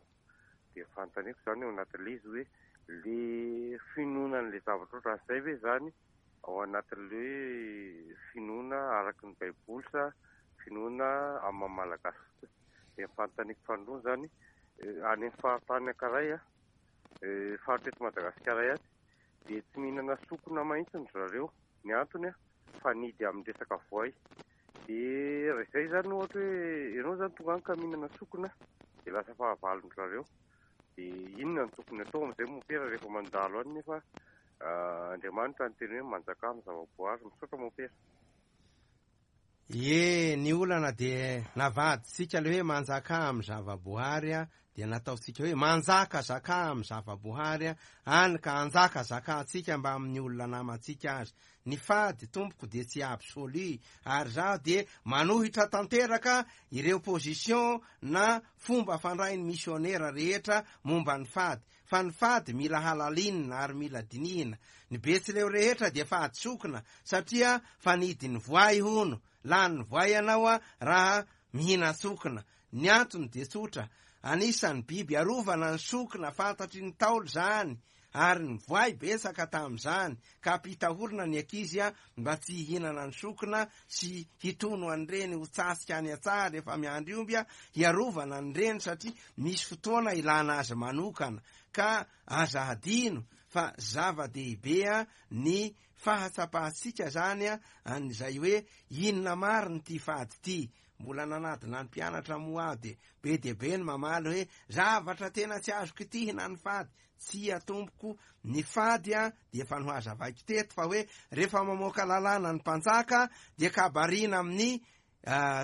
Dia ny fanontaniako izany ao anatin'ilay izy hoe le finoana an'ilay zavatra ohatran'izay ve izany ao anatin'ilay hoe finoana araka ny baiboly sa finoana amin'ny maha malagasy fotsiny. Dia ny fanontaniako faharoa izany, any amin'ny faritany anankiray, faritra eto Madagasikara ihany, dia tsy mihinana sokona mihitsy ry zareo. Ny antony, fanidy amin'ny resaka voay. Dia raha izay izany ohatra hoe ianao izany tonga any ka mihinana sokona dia lasa fahavalon-dry zareo. Dia inona no tokony atao amin'izay mompera rehefa mandalo any nefa Andriamanitra niteny hoe manjakà amin'ny zava-boary. Misaotra mompera. Ie, ny olana dia navadintsika ilay hoe manjakà amin'ny zava-boary dia nataontsika hoe manjakazakà amin'ny zava-boary any ka anjakazakantsika mbamin'ny olona namantsika aza. Ny fady tompoko dia tsy absolu ary izaho dia manohitra tanteraka ireo position na fomba fandrain'ny misionera rehetra momba ny fady fa ny fady mila halalinina ary mila dinihina. Ny betsileo rehetra dia fady sokina satria fanidin'ny voay hono, lanin'ny voay ianao raha mihinan-tsokina. Ny antony dia tsotra, anisan'ny biby arovana ny sokina fantatry ny Ntaolo izany ary ny voay betsaka tamin'izany ka ampitahorina ny ankizy mba tsy hihinana ny sokina sy hitono an'ireny ho tsasika any an-tsaha rehefa miandry omby hiarovana an'ireny satria misy fotoana ilana azy manokana ka aza hadino fa zava-dehibe ny fahatsapantsika izany an'izay hoe inona marina ity fady ity. Mbola nanadina ny mpianatra moa aho dia be dia be ny mamaly hoe zavatra tena tsy azo kitihina ny fady. Tsia tompoko, ny fady dia efa nohazavaiko teto fa hoe rehefa mamoaka lalàna ny mpanjaka dia kabarina amin'ny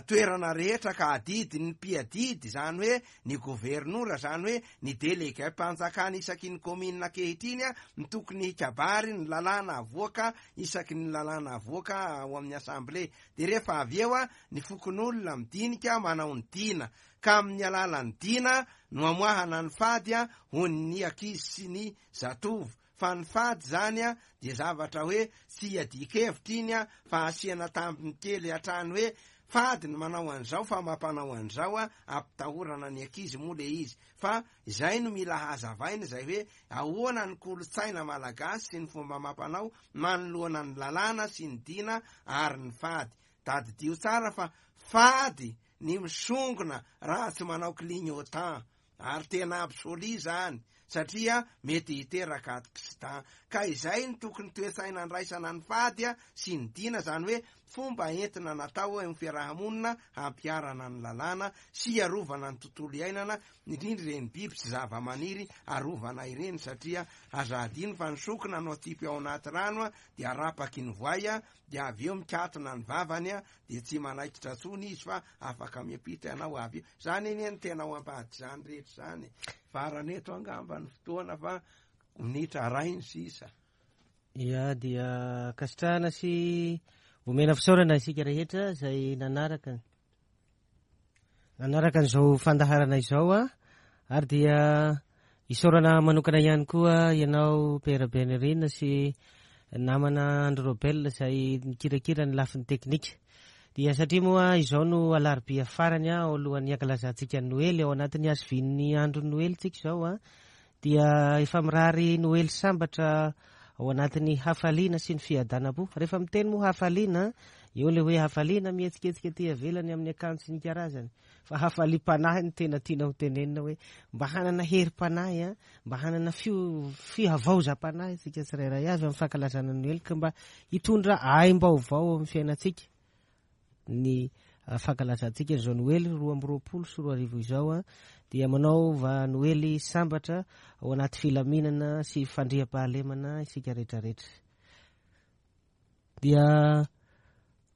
toerana rehetra ka adidin'ny mpiadidy izany hoe ny governora izany hoe ny delegem-panjakana isaky ny kaominina ankehitriny no tokony hikabary ny lalàna avoaka isaky ny lalàna avoaka ao amin'ny assemblée dia rehefa avy eo ny fokonolona midinika manao ny dina ka amin'ny alalan'ny dina no amoahana ny fady ho ny ankizy sy ny zatovo fa ny fady izany dia zavatra hoe tsy iadian-kevitra iny fa asiana tambiny kely hatrany hoe fady ny manao an'izao fa mampanao an'izao ampitahorana ny ankizy moa le izy fa izay no mila hazavaina izay hoe ahoana ny kolontsaina malagasy sy ny fomba amam-panao manoloana ny lalàna sy ny dina ary ny fady. Tadidio tsara fa fady ny misongona raha tsy manao clignotant. Ary tena absolu izany satria mety hiteraka accident. Ka izay no tokony toe-tsaina andraisana ny fady sy ny dina, izany hoe fomba entina natao eo amin'ny fiaraha-monina hampiharana ny lalàna sy hiarovana ny tontolo iainana, indrindra ireny biby sy zava-maniry arovana ireny satria aza adino fa ny sokina no atsipy ao anaty rano dia arapaky ny voay dia avy eo mikatona ny vavany dia tsy manaikitra tsony izy fa afaka miampita ianao avy eo. Zany anie no tena ao ambadik'izany rehetra izany e. Farany eto angamba ny fotoana fa minitra iray ny sisa. Ya, dia ankasitrahana sy omena fisaorana isika rehetra izay nanaraka nanaraka an'izao fandaharana izao a. Ary dia isaorana manokana ihany koa ianao Père Benirina sy namana Andry Robel izay nikirakira ny lafiny teknika. Dia satria moa izao no alarobia farany ao alohan'ny hankalazantsika ny Noely, ao anatin'ny hazovian'ny andron'ny Noely tsika izao a, dia efa mirary Noely sambatra ao anatin'ny hafaliana sy ny fiadanam-po. Rehefa miteny moa hafaliana, eo ilay hoe hafaliana mihetsiketsika aty ivelany amin'ny akanjo sy ny karazany, fa hafaliam-panahy no tena tiana ho tenenina hoe mba hanana herim-panahy a, mba hanana fihavaozam-panahy isika tsirairay avy amin'ny fankalazana ny Noely, ka mba hitondra aim-baovao amin'ny fiainantsika ny fankalazantsika izao Noely 2022 izao a, dia manaova Noely sambatra ao anaty filaminana sy fandriampahalemana isika rehetrarehetra. Dia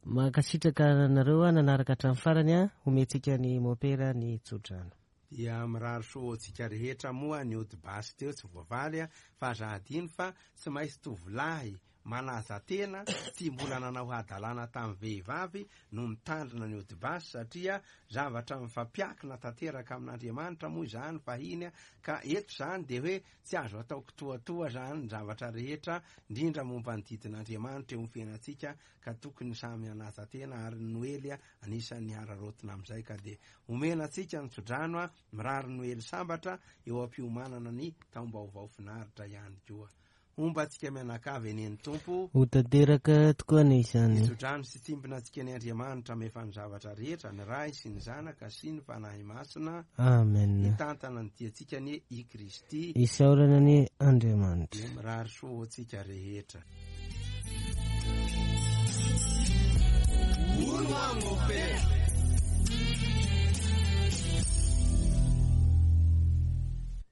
mankasitraka anareo a nanaraka hatramin'ny farany a, omentsika ny mopera ny tsodrano. Dia mirary soa ho antsika rehetra moa ny ody basy teo tsy voavaly a, fa aza adino fa tsy maintsy tovolahy manaja tena tsy mbola nanao hadalana tamin'ny vehivavy no mitandrina ny ody basy satria zavatra mifampiakina tanteraka amin'Andriamanitra moa izany fahiny ka eto izany dia hoe tsy azo atao kitoatoa izany ny zavatra rehetra indrindra momba ny didin'Andriamanitra eo amin'ny fiainantsika ka tokony samy hanaja tena ary ny Noely anisan'ny hararaotina amin'izay ka dia omena antsika ny tsodrano mirary Noely sambatra eo am-piomanana ny taom-baovao finaritra ihany koa. Homba antsika mianakavy anie ny Tompo. Ho tanteraka tokoa anie izany. Hitsodrano sy tsimbina antsika anie Andriamanitra mahefa ny zavatra rehetra, ny Ray sy ny Zanaka sy ny Fanahy Masina. Amen. Hitantana ny diantsika anie i Kristy. Isaorana anie Andriamanitra. Dia mirary soa ho antsika rehetra. Hono aho mopera.